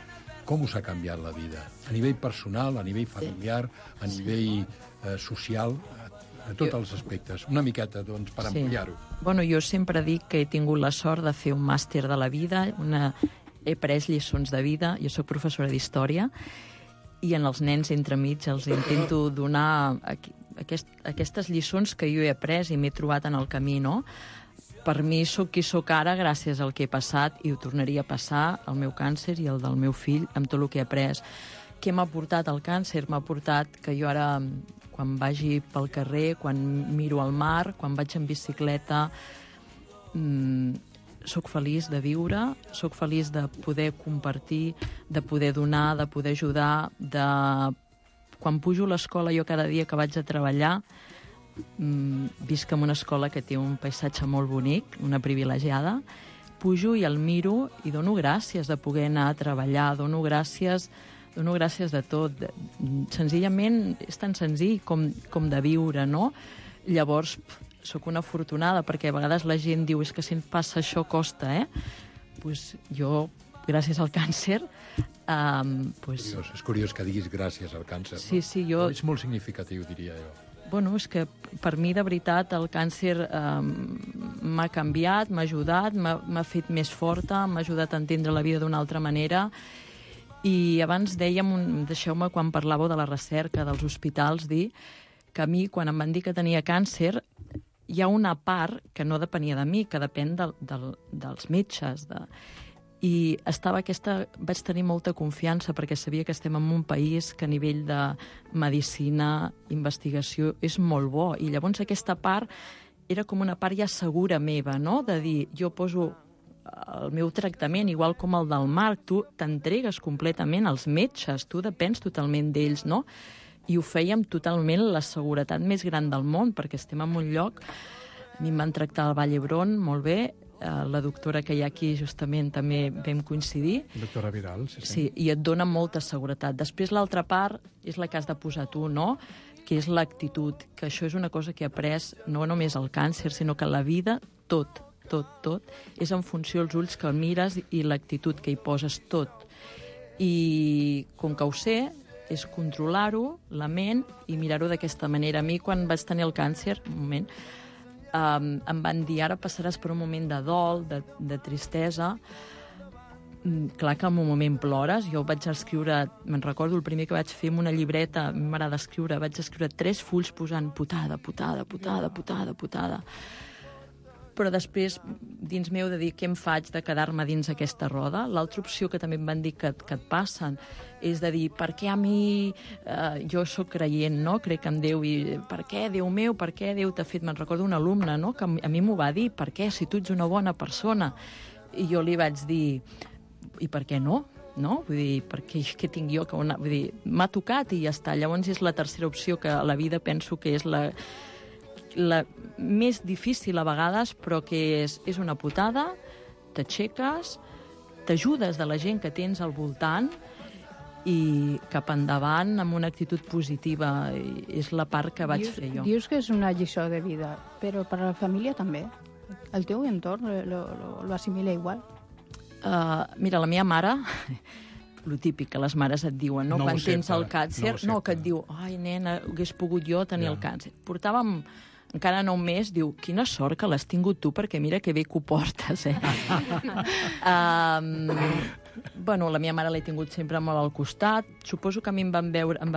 com us ha canviat la vida, a nivell personal, a nivell familiar, a nivell social, a tots els aspectes. Una miqueta, doncs, per ampliar-ho. Bueno, jo sempre dic que he tingut la sort de fer un màster de la vida, he pres lliçons de vida, jo sóc professora d'història, i en els nens entremig els intento donar aquestes lliçons que jo he après i m'he trobat en el camí, no? Per mi sóc qui sóc ara gràcies al que he passat, i ho tornaria a passar, el meu càncer i el del meu fill, amb tot el que he après. Què m'ha portat el càncer? M'ha portat que jo ara, quan vagi pel carrer, quan miro al mar, quan vaig en bicicleta, soc feliç de viure, soc feliç de poder compartir, de poder donar, de poder ajudar, Quan pujo a l'escola, jo cada dia que vaig a treballar, visc en una escola que té un paisatge molt bonic, una privilegiada, pujo i el miro i dono gràcies de poder anar a treballar, dono gràcies de tot. Senzillament és tan senzill com de viure, no? Llavors, sóc una afortunada, perquè a vegades la gent diu és que si em passa això costa, Doncs jo, gràcies al càncer... És curiós que diguis gràcies al càncer, no? Sí, jo... És molt significatiu, diria jo. Bueno, és que per mi, de veritat, el càncer m'ha canviat, m'ha ajudat, m'ha fet més forta, m'ha ajudat a entendre la vida d'una altra manera. I abans dèiem, deixeu-me, quan parlàveu de la recerca, dels hospitals, dir que a mi, quan em van dir que tenia càncer, hi ha una part que no depenia de mi, que depèn dels metges. I vaig tenir molta confiança perquè sabia que estem en un país que a nivell de medicina, investigació, és molt bo. I llavors aquesta part era com una part ja segura meva, no? De dir, jo poso el meu tractament, igual com el del Marc, tu t'entregues completament als metges, tu depens totalment d'ells, no? I ho fèiem totalment la seguretat més gran del món, perquè estem en un lloc... A mi em van tractar al Vall d'Hebron molt bé, la doctora que hi ha aquí justament també vam coincidir. Doctora Vidal, sí. Sí, i et dona molta seguretat. Després l'altra part és la que has de posar tu, no? Que és l'actitud, que això és una cosa que he après no només al càncer, sinó que la vida, tot, és en funció dels ulls que el mires i l'actitud que hi poses, tot. I com que ho sé, és controlar-ho, la ment, i mirar-ho d'aquesta manera. A mi, quan vaig tenir el càncer, un moment, em van dir, ara passaràs per un moment de dol, de tristesa. Clar que en un moment plores. Jo vaig escriure, me'n recordo, el primer que vaig fer amb una llibreta, a mi m'agrada escriure, vaig escriure 3 fulls posant putada. Però després, dins meu, de dir què em faig de quedar-me dins aquesta roda. L'altra opció que també em van dir que et passen és de dir, per què a mi... jo sóc creient, no? Crec en Déu, i per què, Déu meu, per què Déu t'ha fet? Me'n recordo una alumna, no?, que a mi m'ho va dir, per què, si tu ets una bona persona? I jo li vaig dir, i per què no? No? Vull dir, què tinc jo? Vull dir, m'ha tocat i ja està. Llavors és la tercera opció, que a la vida penso que és la més difícil a vegades, però que és una putada, t'aixeques, t'ajudes de la gent que tens al voltant i cap endavant amb una actitud positiva. És la part que vaig fer jo. Dius que és una lliçó de vida, però per a la família també. El teu entorn lo assimila igual? Mira, la meva mare... el típic que les mares et diuen, no? Quan tens el càncer, que et diu, ai, nena, hagués pogut jo tenir el càncer. Portàvem encara no un mes, diu, quina sort que l'has tingut tu, perquè mira que bé que ho portes, Bueno, la meva mare l'he tingut sempre molt al costat. Suposo que a mi em va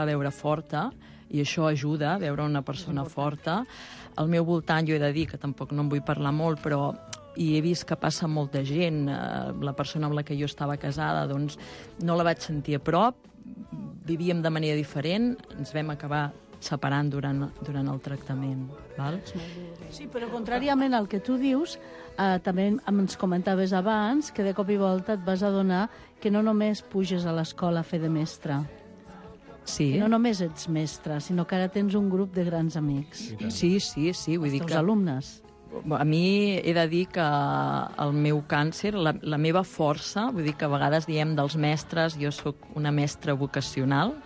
veure forta, i això ajuda, veure una persona forta. Al meu voltant, jo he de dir, que tampoc no en vull parlar molt, però i he vist que passa molta gent. La persona amb la que jo estava casada, doncs, no la vaig sentir a prop, vivíem de manera diferent, ens vam acabar separant durant el tractament. Val? Sí, però contràriament al que tu dius, també ens comentaves abans que de cop i volta et vas adonar que no només puges a l'escola a fer de mestre. Sí. Que no només ets mestre, sinó que ara tens un grup de grans amics. Sí. Vull dir els alumnes. A mi he de dir que el meu càncer, la meva força, vull dir que a vegades diem dels mestres, jo sóc una mestra vocacional,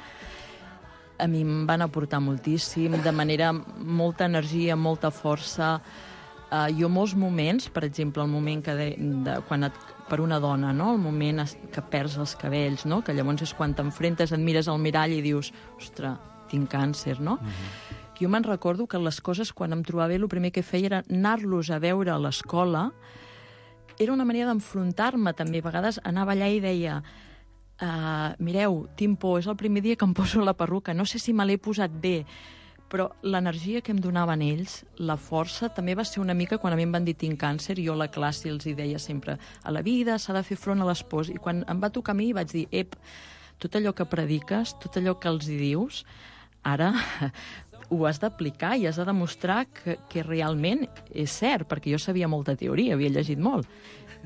a mi em van aportar moltíssim, de manera molta energia, molta força. Jo molts moments, per exemple, el moment quan per una dona, no? El moment que perds els cabells, no? Que llavors és quan t'enfrentes, et mires al mirall i dius, ostres, tinc càncer, no? Jo me'n recordo que les coses, quan em trobava bé, el primer que feia era anar-los a veure a l'escola. Era una manera d'enfrontar-me, també. A vegades anava allà i deia, mireu, tinc por, és el primer dia que em poso la perruca, no sé si me l'he posat bé, però l'energia que em donaven ells, la força, també va ser una mica quan a mi em van dir tinc càncer, jo a la classe els hi deia sempre, a la vida s'ha de fer front a les pors, i quan em va tocar a mi vaig dir, tot allò que prediques, tot allò que els hi dius, ara ho has d'aplicar i has de demostrar que realment és cert, perquè jo sabia molta teoria, havia llegit molt,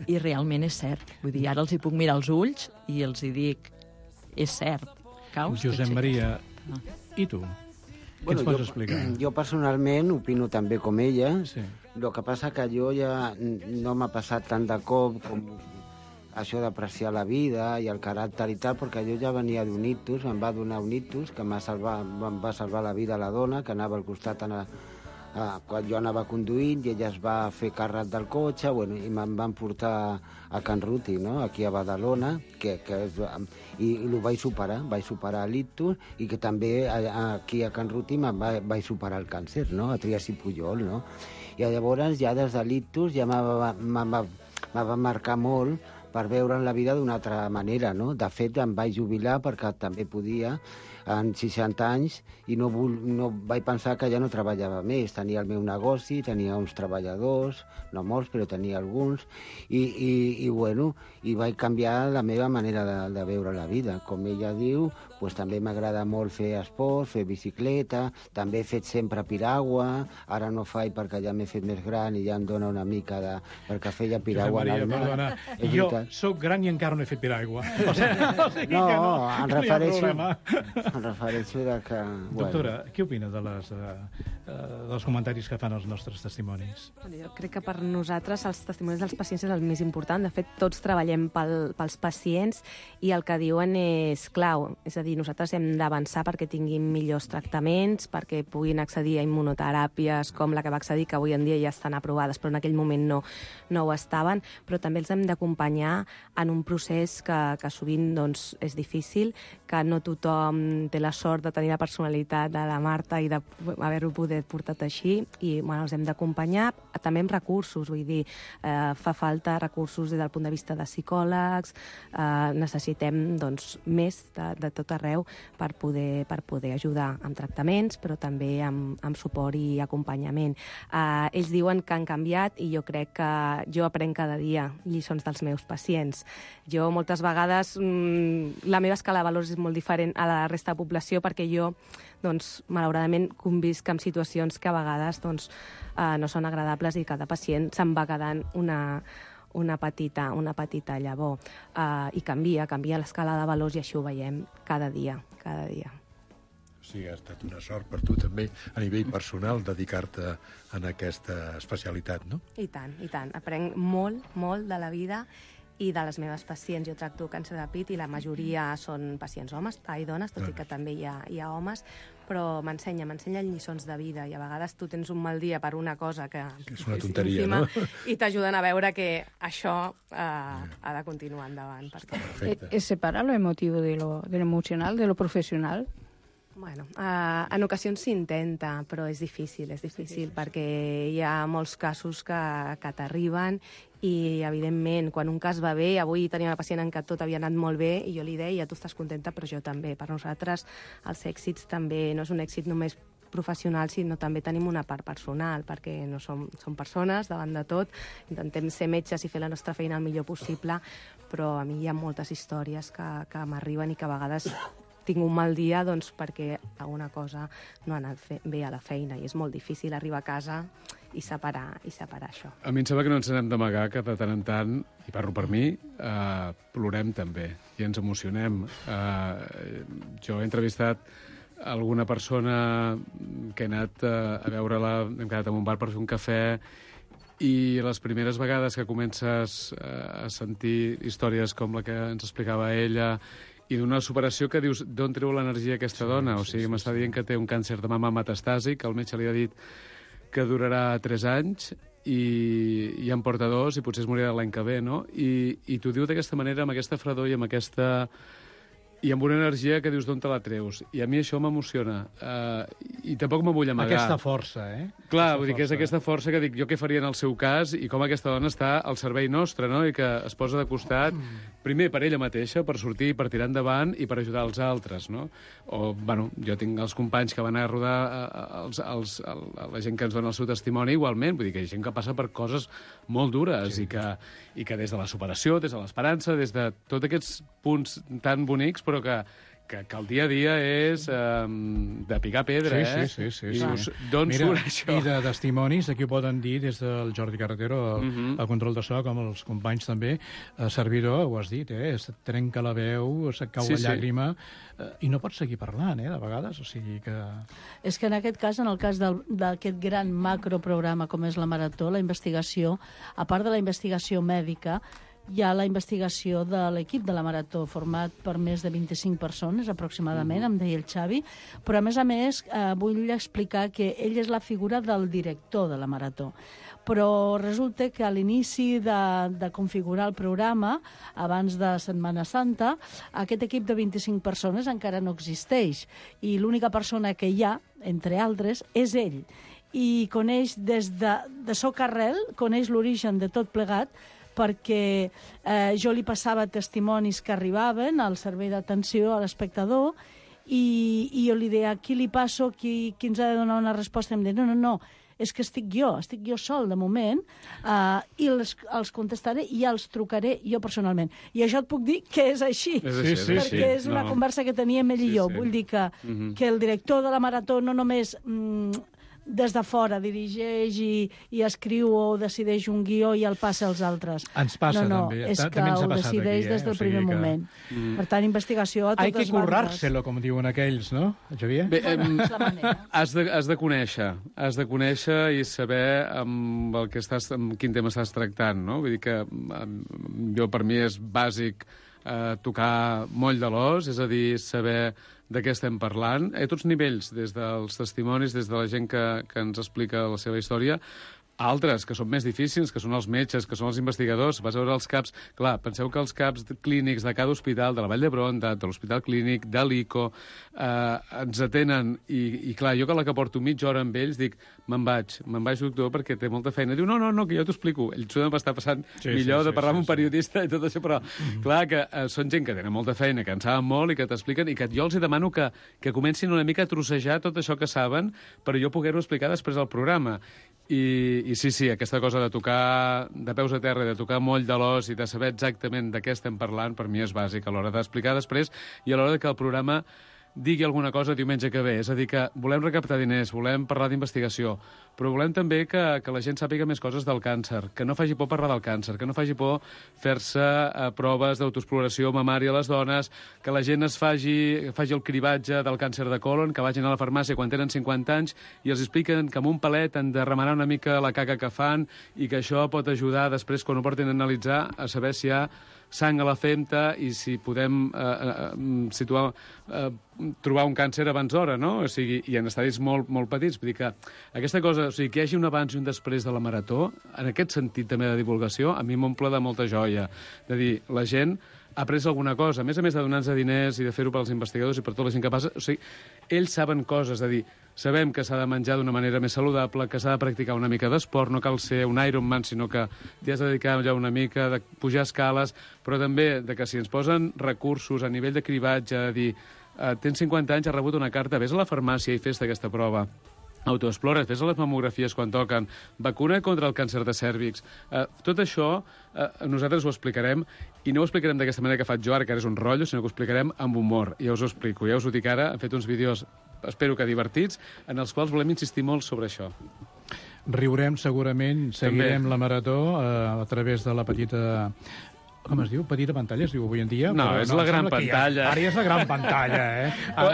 i realment és cert. Vull dir, ara els hi puc mirar als ulls i els hi dic, és cert. Caus, Josep Maria, i tu? Què ens pots explicar? Jo personalment opino també com ella. El que passa que jo ja no m'ha passat tant de cop com això d'apreciar la vida i el caràcter i tal, perquè jo ja venia d'un ictus, em va donar un ictus que em va salvar la vida a la dona, que anava al costat quan jo anava conduint i ella es va fer càrrec del cotxe, bueno, i me'n van portar a Can Ruti, no? Aquí a Badalona, i ho vaig superar l'ictus, i que també aquí a Can Ruti vaig superar el càncer, no? A Trias i Pujol, no? I llavors ja des de l'ictus ja me va marcar molt per veure la vida d'una altra manera, no? De fet, em vaig jubilar perquè també podia, en 60 anys, i no vaig pensar que ja no treballava més. Tenia el meu negoci, tenia uns treballadors, no molts, però tenia alguns, i vaig canviar la meva manera de veure la vida. Com ella diu, doncs també m'agrada molt fer esport, fer bicicleta, també he fet sempre piragua, ara no faig perquè ja m'he fet més gran i ja em dona una mica de... perquè feia piragua Maria, en el mar. Perdona, jo soc gran i encara no he fet piragua. O sigui no, que em refereixo de que... Doctora, què opina dels comentaris que fan els nostres testimonis? Jo crec que per nosaltres els testimonis dels pacients és el més important. De fet, tots treballem pels pacients i el que diuen és clau. És a dir, nosaltres hem d'avançar perquè tinguin millors tractaments, perquè puguin accedir a immunoteràpies com la que va accedir, que avui en dia ja estan aprovades, però en aquell moment no ho estaven. Però també els hem d'acompanyar en un procés que sovint doncs, és difícil, que no tothom té la sort de tenir la personalitat de la Marta i d'haver-ho poder portat així, i els hem d'acompanyar també amb recursos, vull dir, fa falta recursos des del punt de vista de psicòlegs, necessitem doncs, més de tot arreu per poder ajudar amb tractaments, però també amb suport i acompanyament. Ells diuen que han canviat i jo crec que jo aprenc cada dia lliçons dels meus pacients. Jo moltes vegades la meva escala de valors és molt diferent a la resta de població perquè jo, doncs, malauradament, convisc amb situacions que a vegades doncs, no són agradables i cada pacient se'n va quedant una petita llavor. I canvia l'escala de valors i això ho veiem cada dia. O sigui, ha estat una sort per tu també, a nivell personal, dedicar-te a aquesta especialitat, no? I tant. Aprenc molt de la vida i de les meves pacients. Jo tracto càncer de pit i la majoria són pacients dones, tot i que també hi ha homes, però m'ensenyen lliçons de vida i a vegades tu tens un mal dia per una cosa que és una tonteria, no? I t'ajuden a veure que això ha de continuar endavant. ¿Es separar lo emotivo de lo emocional, de lo profesional? Bueno, en ocasions s'intenta, però és difícil perquè hi ha molts casos que t'arriben i, evidentment, quan un cas va bé, avui tenia una pacient en què tot havia anat molt bé i jo li deia, tu estàs contenta, però jo també. Per nosaltres els èxits també no és un èxit només professional, sinó també tenim una part personal, perquè no som persones davant de tot, intentem ser metges i fer la nostra feina el millor possible, però a mi hi ha moltes històries que m'arriben i que a vegades tinc un mal dia doncs, perquè alguna cosa no ha anat bé a la feina i és molt difícil arribar a casa i separar això. A mi em sembla que no ens n'hem d'amagar que de tant en tant, i parlo per mi, plorem també i ens emocionem. Jo he entrevistat alguna persona que he anat a veure-la, hem quedat en un bar per fer un cafè, i les primeres vegades que comences a sentir històries com la que ens explicava ella i d'una superació que dius, d'on treu l'energia aquesta dona? O sigui, m'està dient que té un càncer de mama metastàsic, el metge li ha dit que durarà 3 anys i en porta 2 i potser es morirà l'any que ve, no? I t'ho diu d'aquesta manera, amb aquesta fredor i amb aquesta... i amb una energia que dius d'on te la treus. I a mi això m'emociona. I tampoc me vull amagar. Aquesta força, Clar, vull dir que és aquesta força que dic jo què faria en el seu cas i com aquesta dona està al servei nostre, no? I que es posa de costat, primer per ella mateixa, per sortir, per tirar endavant i per ajudar els altres, no? O, bueno, jo tinc els companys que van a rodar la gent que ens dona el seu testimoni igualment, vull dir que hi ha gent que passa per coses molt dures i que des de la superació, des de l'esperança, des de tots aquests punts tan bonics, però que el dia a dia és de picar pedra, Sí. I dius, d'on surt això? I de testimonis, aquí ho poden dir des del Jordi Carretero, el control de so, com els companys també, servidor, ho has dit, es trenca la veu, se't cau la llàgrima, i no pots seguir parlant, de vegades, o sigui que... És que en aquest cas, en el cas d'aquest gran macroprograma com és la Marató, la investigació, a part de la investigació mèdica, hi ha la investigació de l'equip de la Marató, format per més de 25 persones, aproximadament, em deia el Xavi, però, a més, vull explicar que ell és la figura del director de la Marató. Però resulta que a l'inici de configurar el programa, abans de Setmana Santa, aquest equip de 25 persones encara no existeix, i l'única persona que hi ha, entre altres, és ell. I coneix des de soc arrel, coneix l'origen de tot plegat, perquè jo li passava testimonis que arribaven al servei d'atenció a l'espectador i jo li deia, qui li passo, qui ens ha de donar una resposta? Em deia, no, és que estic jo sol de moment, i els contestaré i els trucaré jo personalment. I això et puc dir que és així, perquè és una conversa que teníem ell i jo. Vull dir que el director de la Marató no només des de fora dirigeix i escriu o decideix un guió i el passa als altres. Ens passa també. És que ho decideix des del primer moment. Per tant, investigació a totes bandes. Hay que currárselo, com diuen aquells, no, Xavier? Bé, has de conèixer i saber amb quin tema estàs tractant, no? Vull dir que per mi és bàsic tocar moll de l'os, és a dir, saber de què estem parlant, a tots nivells, des dels testimonis, des de la gent que ens explica la seva història, altres, que són més difícils, que són els metges, que són els investigadors. Vas a veure els CAPs... Clar, penseu que els CAPs clínics de cada hospital, de la Vall d'Hebron, de l'Hospital Clínic, de l'ICO, ens atenen, i clar, jo que porto mitja hora amb ells, dic, me'n vaig, doctor, perquè té molta feina. Diu, no, que jo t'ho explico. Ell s'ho d'estar passant millor de parlar amb un periodista i tot això, però clar, que són gent que tenen molta feina, que en saben molt i que t'expliquen, i que jo els demano que comencin una mica a trossejar tot això que saben per jo poder-ho explicar després al programa. I sí, aquesta cosa de tocar de peus a terra, de tocar moll de l'os i de saber exactament de què estem parlant, per mi és bàsic a l'hora d'explicar després i a l'hora que el programa digui alguna cosa diumenge que ve. És a dir, que volem recaptar diners, volem parlar d'investigació, però volem també que la gent sàpiga més coses del càncer, que no faci por parlar del càncer, que no faci por fer-se proves d'autoexploració mamària a les dones, que la gent faci el cribatge del càncer de colon, que vagin a la farmàcia quan tenen 50 anys i els expliquen que amb un palet han de remenar una mica la caca que fan i que això pot ajudar després, quan ho portin a analitzar, a saber si hi ha sang a la femta i si podem trobar un càncer abans d'hora, no? O sigui, i en estadis molt, molt petits. Vull dir que aquesta cosa, o sigui, que hi hagi un abans i un després de la Marató, en aquest sentit també de divulgació, a mi m'omple de molta joia. De dir, la gent ha après alguna cosa, a més de donar-nos diners i de fer-ho pels investigadors i per tota la gent que passa, o sigui, ells saben coses, de dir, sabem que s'ha de menjar d'una manera més saludable, que s'ha de practicar una mica d'esport, no cal ser un Ironman, sinó que t'hi has de dedicar ja una mica, de pujar escales, però també de que si ens posen recursos a nivell de cribatge, de dir, tens 50 anys, has rebut una carta, vés a la farmàcia i fes aquesta prova. Autoexplora, fes les mamografies quan toquen, vacuna contra el càncer de cèrvix. Tot això nosaltres ho explicarem, i no ho explicarem d'aquesta manera que faig jo ara, que ara és un rotllo, sinó que ho explicarem amb humor. Ja us ho explico, ja us ho dic ara, hem fet uns vídeos, espero que divertits, en els quals volem insistir molt sobre això. Riurem segurament, seguirem la Marató a través de la petita... Com es diu? Petita pantalla, es diu avui en dia? No, és la gran pantalla. Ara ja és la gran pantalla,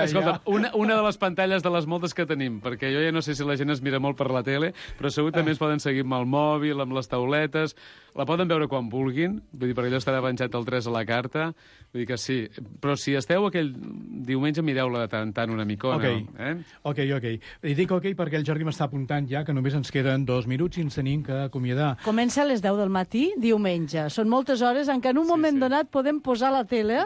Escolta, una de les pantalles de les moltes que tenim, perquè jo ja no sé si la gent es mira molt per la tele, però segur també es poden seguir amb el mòbil, amb les tauletes, la poden veure quan vulguin, vull dir, perquè allò estarà penjat el 3 a la carta, vull dir que sí. Però si esteu aquell diumenge, mireu-la de tant en tant una micona. Ok. I dic ok perquè el Jordi m'està apuntant ja que només ens queden 2 minuts i ens tenim que acomiadar. Comença a les 10 del matí, diumenge. Són moltes hores en què en un moment donat podem posar la tele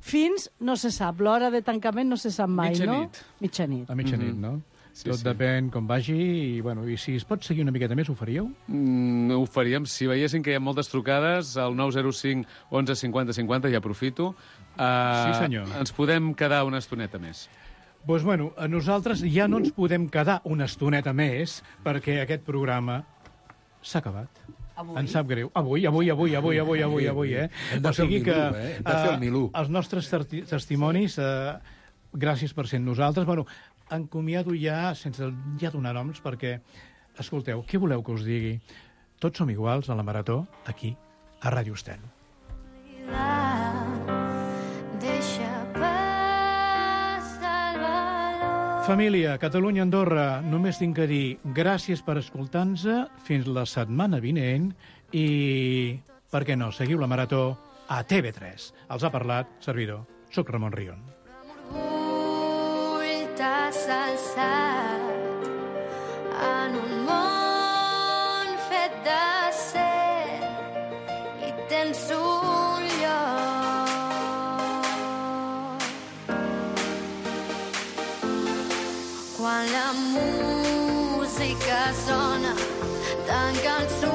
fins, no se sap, l'hora de tancament no se sap mai, no? Mitjanit. A mitjanit, no? Tot depèn com vagi i si es pot seguir una miqueta més, ho faríeu? Ho faríem. Si veiéssim que hi ha moltes trucades, al 905 11 50 50, ja aprofito. Sí, senyor. Ens podem quedar una estoneta més. Doncs nosaltres ja no ens podem quedar una estoneta més perquè aquest programa s'ha acabat. Em sap greu. Avui, eh? Hem de fer el Milú, eh? Hem de fer el Milú. Els nostres testimonis, gràcies per ser nosaltres. Bueno, encomiado ja, sense ja donar noms, perquè, escolteu, què voleu que us digui? Tots som iguals a la Marató, aquí, a Ràdio Estel. Família, Catalunya, Andorra, només tinc que dir gràcies per escoltar-nos fins la setmana vinent i, per què no, seguiu la Marató a TV3. Els ha parlat servidor. Soc Ramon Rion. T'has alçat en un món fet d'acer i tens un lloc. Quan la música sona, tanca els ulls